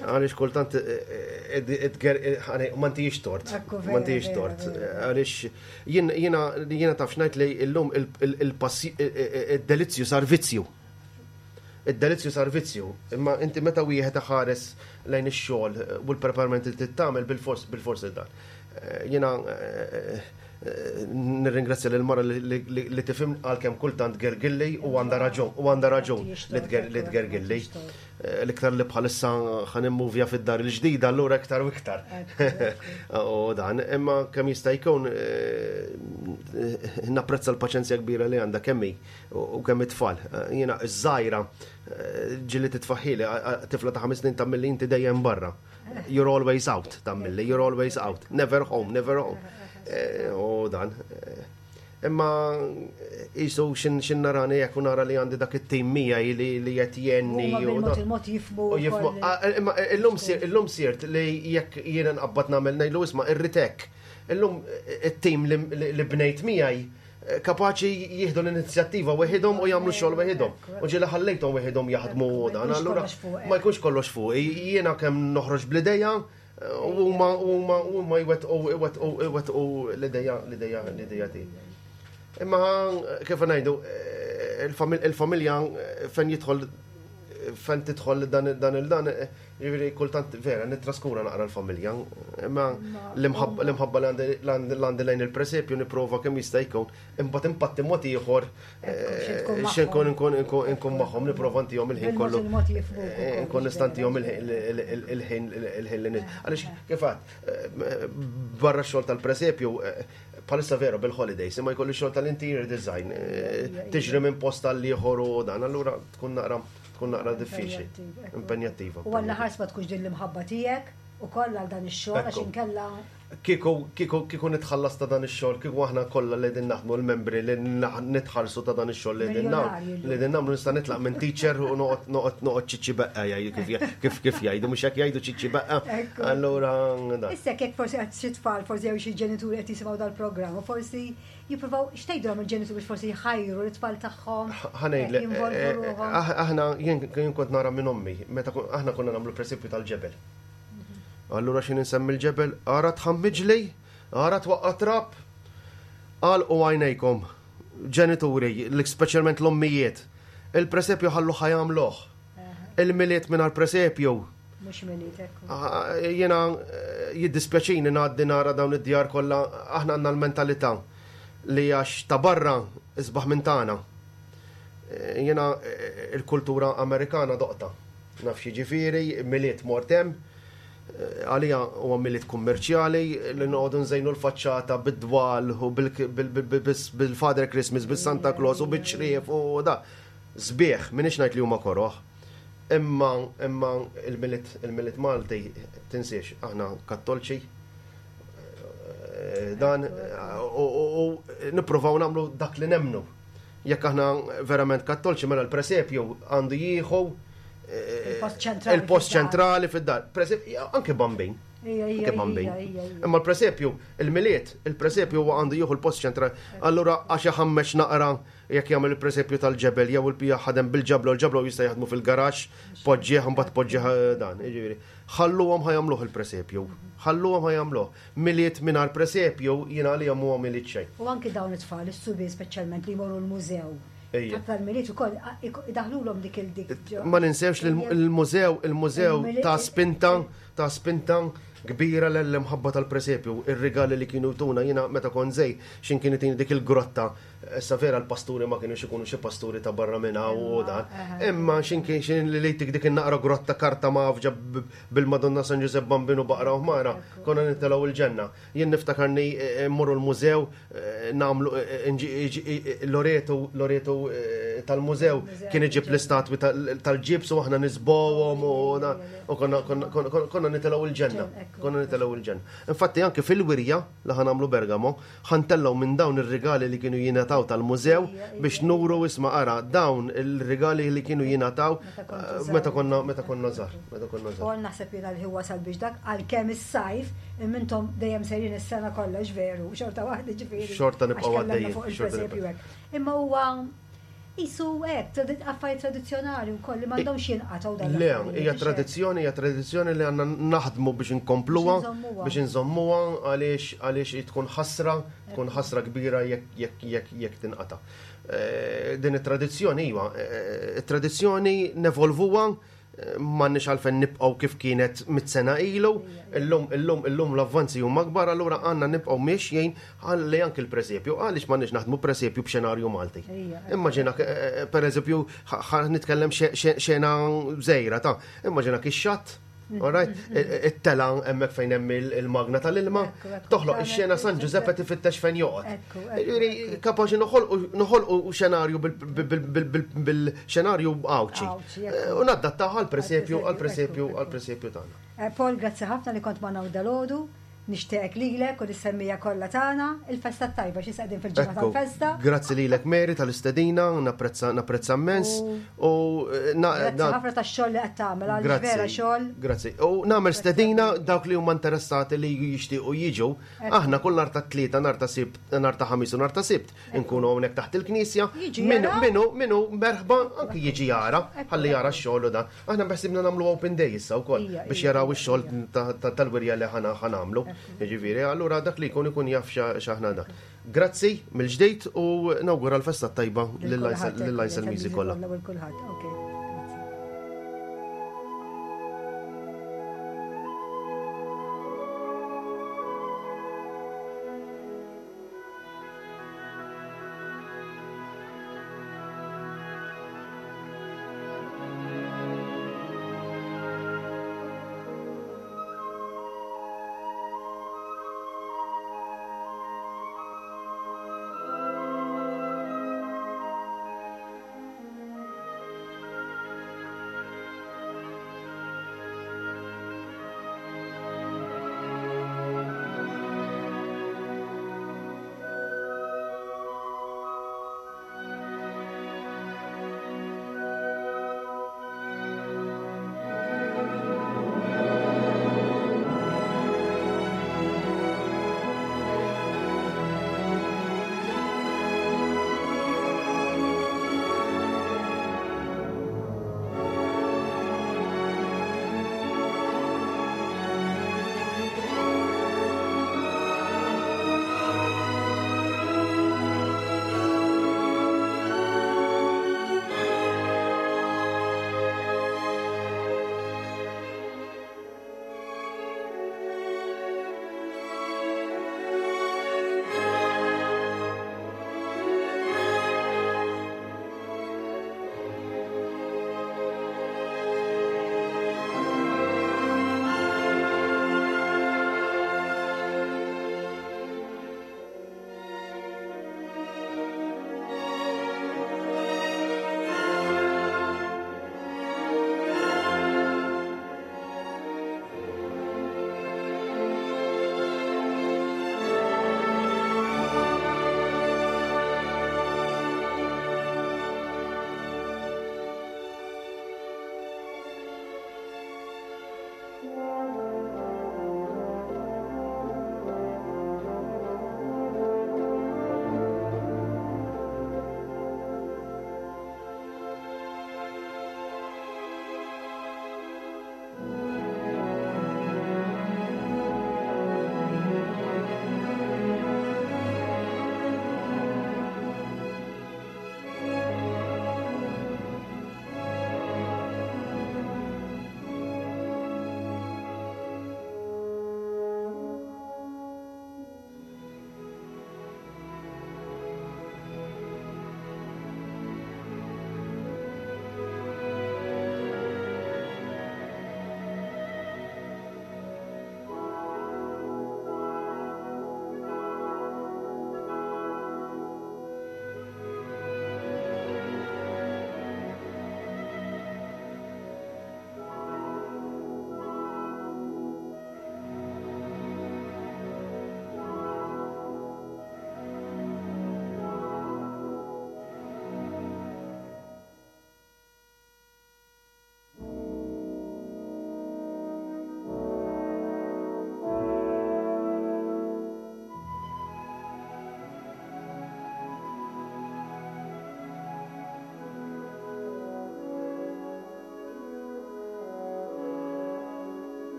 Għaliex kultant eh, eh, eh, ma ntijiex tort. Ma ntijiex tort. Għaliex jiena jiena taf x'ngħid li llum il-delizzju sar vizzju. Id-delizzju sar vizzju. Imma inti meta wieħed ħares lejn ix-xogħol u l-preparament li tagħmel bil-fors bil-fors dan. Jiena Nirringrazzja lil mara li tifhimni għalkemm kultant tgergilli u għandha raġun u għandha raġun li tgergilli. Eh, l-iktar li bħalissa ħa nimmuvja fid-dar il-ġdida allura iktar u iktar. U dan, imma kemm jista' jkun eh, napprezza l-paċenzja kbira li għandha kemm hi u kemm it-tfal. Eh, jiena iż-żgħira ġieli titfaħħili tifla ta' ħames snin tagħmilli inti dejjem barra. You're always out, tammilli, you're always out, never home, never home. Eh, u dan. Eh, imma jisu xin narani jekk nara li għandi dak it-tim miegħi li qed jenni. Il-mod jifmu. Ah, imma illum sirt li jekk jiena nqabbad nagħmel ngħidlu isma' irritek. Illum it-tim li bnejt miegħi. kapaċi jieħdu l-inizjattiva weħidhom u jagħmlu xogħol weħidhom. U ġieli ħallejthom weħidhom jaħdmu dan, allura ma jkunx kollox fuq. Jiena kemm noħroġ bl-idea u huma huma huma jwettqu iwettqu iwettqu l-idea l-idea l-idea tiegħi. Imma kif ngħidu il-familja fejn jidħol fejn tidħol dan dan il-dan Jiġifieri kultant vera nittraskura naqra l-familja, imma l-imħabba li għandi lejn il-presepju nipprova kemm jista' jkun, imbagħad impatti mod ieħor eh, x'inkun inkun inkun magħhom nipprova ntihom il-ħin kollu. Eh, nkun nista' ntihom il-ħin il-ħin li Għaliex kif għad, eh, barra x-xogħol tal-presepju bħalissa vera bil-holidays, imma jkolli xogħol tal-interior design, tiġri minn post għall-ieħor u dan, allura tkun naqra tkun naqra diffiċli, impenjattiva. U għalla ħars ma tkunx din l-imħabba tiegħek ukoll għal dan ix-xogħol għax inkella. Kieku, kieku, kieku nitħallas ta' dan ix-xogħol, kieku aħna kollha li din naħdmu l-membri li nitħallsu ta' dan ix-xogħol li din nagħmlu, li din nagħmlu nista' nitlaq minn teacher u noqgħod noqgħod noqgħod ċiċċi beqqa jgħidu kif kif kif jgħidu mhux hekk jgħidu ċiċċi beqqa. Allura dan. Issa jekk forsi qed xi tfal forsi jew xi ġenituri qed jisimgħu dal-programm u forsi Jippruvaw, x'tgħidilhom il-ġenituri biex forsi jħajru l-itfal tagħhom? Ħa ngħidlek, eh, eh, aħna jien kont nara minn ommi, meta aħna konna nagħmlu presepju tal-ġebel. Mhm. Allura xi insemmi l-ġebel, ara tħammiġli, ara twaqqa trab, għalqu għajnejkom, ġenituri, speċjalment l-ommijiet, il-presepju ħallu ħajamluh. Il-miliet mingħajr presepju Mhux miliet ekku. Ah, jiena eh, jiddispjaċini ngħaddi nara dawn id-djar kollha aħna għandna l-mentalità li għax ta' barra isbaħ minn tagħna. Eh, jiena eh, il-kultura Amerikana doqta. Naf jiġifieri, miliet mort hemm, għalija huwa miliet kummerċjali li noqogħdu nżejnu l-faċċata bid-dwal u bil-Father Christmas, bil-Santa Claus u biċ-ċrief u da. Sbieħ, m'iniex ngħid li huma koroh. Imma imma il-Milied il-Milied Malti tinsiex aħna Kattolċi eh, dan u nippruvaw nagħmlu dak li nemmnu. Jekk aħna verament Kattolċi mela l-presepju għandu jieħu eh, il-post ċentrali fid-dar. Anke bambin. Anke bambin. Imma l-presepju, il-milied, il-presepju għandu jieħu l-post ċentrali. Allura għax iħammex naqra Jekk jagħmel il-presepju tal-ġebel jew il-pija ħadem bil-ġabla u l-ġabla jista' jaħdmu fil-garaxx, poġġih imbagħad poġġih eh, dan. Jiġifieri, ħalluhom ħa jagħmluh il-presepju. Ħalluhom ħa jagħmluh. Milied mingħajr presepju jiena għalihom huwa milied xejn. U anki dawn it-tfal, is-subien speċjalment li jmorru l-mużew. Tal-milied ukoll idaħlulhom dik il-dik. Ma ninsewx li l-mużew, il-mużew ta' spinta, ta' spinta kbira l-imħabba tal-presepju, ir-rigali li kienu jtuna jiena meta kont żgħir, x'in kien itini dik il-grotta Issa vera l-pasturi ma kienux ikunu xi pasturi ta' barra minn hawn u dan. Imma x'in kien x'in li lejtik dik in-naqra grotta karta mgħaffġa bil-Madonna San Ġużepp Bambinu baqra u ħmara, konna nitilgħu l-ġenna. Jien niftakarni eh, mmorru l-mużew eh, nagħmlu eh, Loreto Loreto tal-mużew kien iġib l-istatwi tal-ġibs u aħna nisbowhom u konna nitilgħu l-ġenna. Konna nitilgħu l-ġenna. Infatti anke fil-wirja li ħa nagħmlu Bergamo, Ħa ntellgħu minn dawn ir-rigali li kienu jingħataw tal-mużew biex nuru isma' ara dawn il-rigali li kienu jingħataw meta konna meta konna żgħar, meta konna żgħar. Paul naħseb jiena l-ħin wasal biex dak għalkemm is-sajf imma intom dejjem sejrin is-sena kollha veru, xorta waħda ġifieri. Xorta nibqgħu għaddejjin. Fuq il-presepju hekk. Imma huwa Qisu hekk, affarijiet tradizzjonali wkoll li m'għandhomx jinqatgħu dan. Le, hija tradizzjoni, hija tradizzjoni li għandna naħdmu biex inkompluha, biex inżommuha għaliex għaliex tkun ħasra, tkun ħasra kbira jekk jekk jekk tinqata'. Eh, din it-tradizzjoni iva, eh, it-tradizzjoni nevolvuha M'għandniex għalfejn nibqgħu kif kienet mit-sena ilu, illum illum illum l-avvanzi huma akbar, allura għandna nibqgħu miexjin ħalli anki l-presepju, għaliex m'għandniex naħdmu presepju b'xenarju Malti. Immaġina eh, eh, pereżempju nitkellem xena żejra ta' immaġina ix-xatt Alright, it-tela hemmhekk fejn hemm il-magna tal-ilma, toħloq ix-xena San Ġużeppe tifittex fejn joqgħod. Kapaċi noħolqu xenarju bil-xenarju Għawdxi. U naddattaha għall-presepju għall-presepju għall-presepju tagħna. Eh, Paul, grazzi ħafna li kont magħna dalgħodu. Nixtieqek lilek u lis-semmiegħa kollha tagħna il-festa t-tajba xi qegħdin fil-ġimgħa tal-festa. Grazzi lilek Mary tal-istedina, napprezza napprezza immens. U eh, Grazzi ħafna tax-xogħol li qed tagħmel għal vera xogħol. Grazzi. U nagħmel stedina dawk li huma interessati li jixtiequ jiġu. Aħna kull nhar ta' tlieta, nhar ta' sibt, nhar ta' ħamis u nhar ta' sibt nkunu hawnhekk taħt il-knisja. Minu minu minu merħba anki jiġi jara, ħalli jara x-xogħol u dan. Aħna beħsibna nagħmlu open day issa wkoll biex jaraw ix-xogħol tal-wirja li ħa nagħmlu. Jiġifieri, allura dak li jkun ikun jaf x'aħna da. Grazzi mill-ġdid u nawgura l-festa tajba lill-Lajsel Music kollha.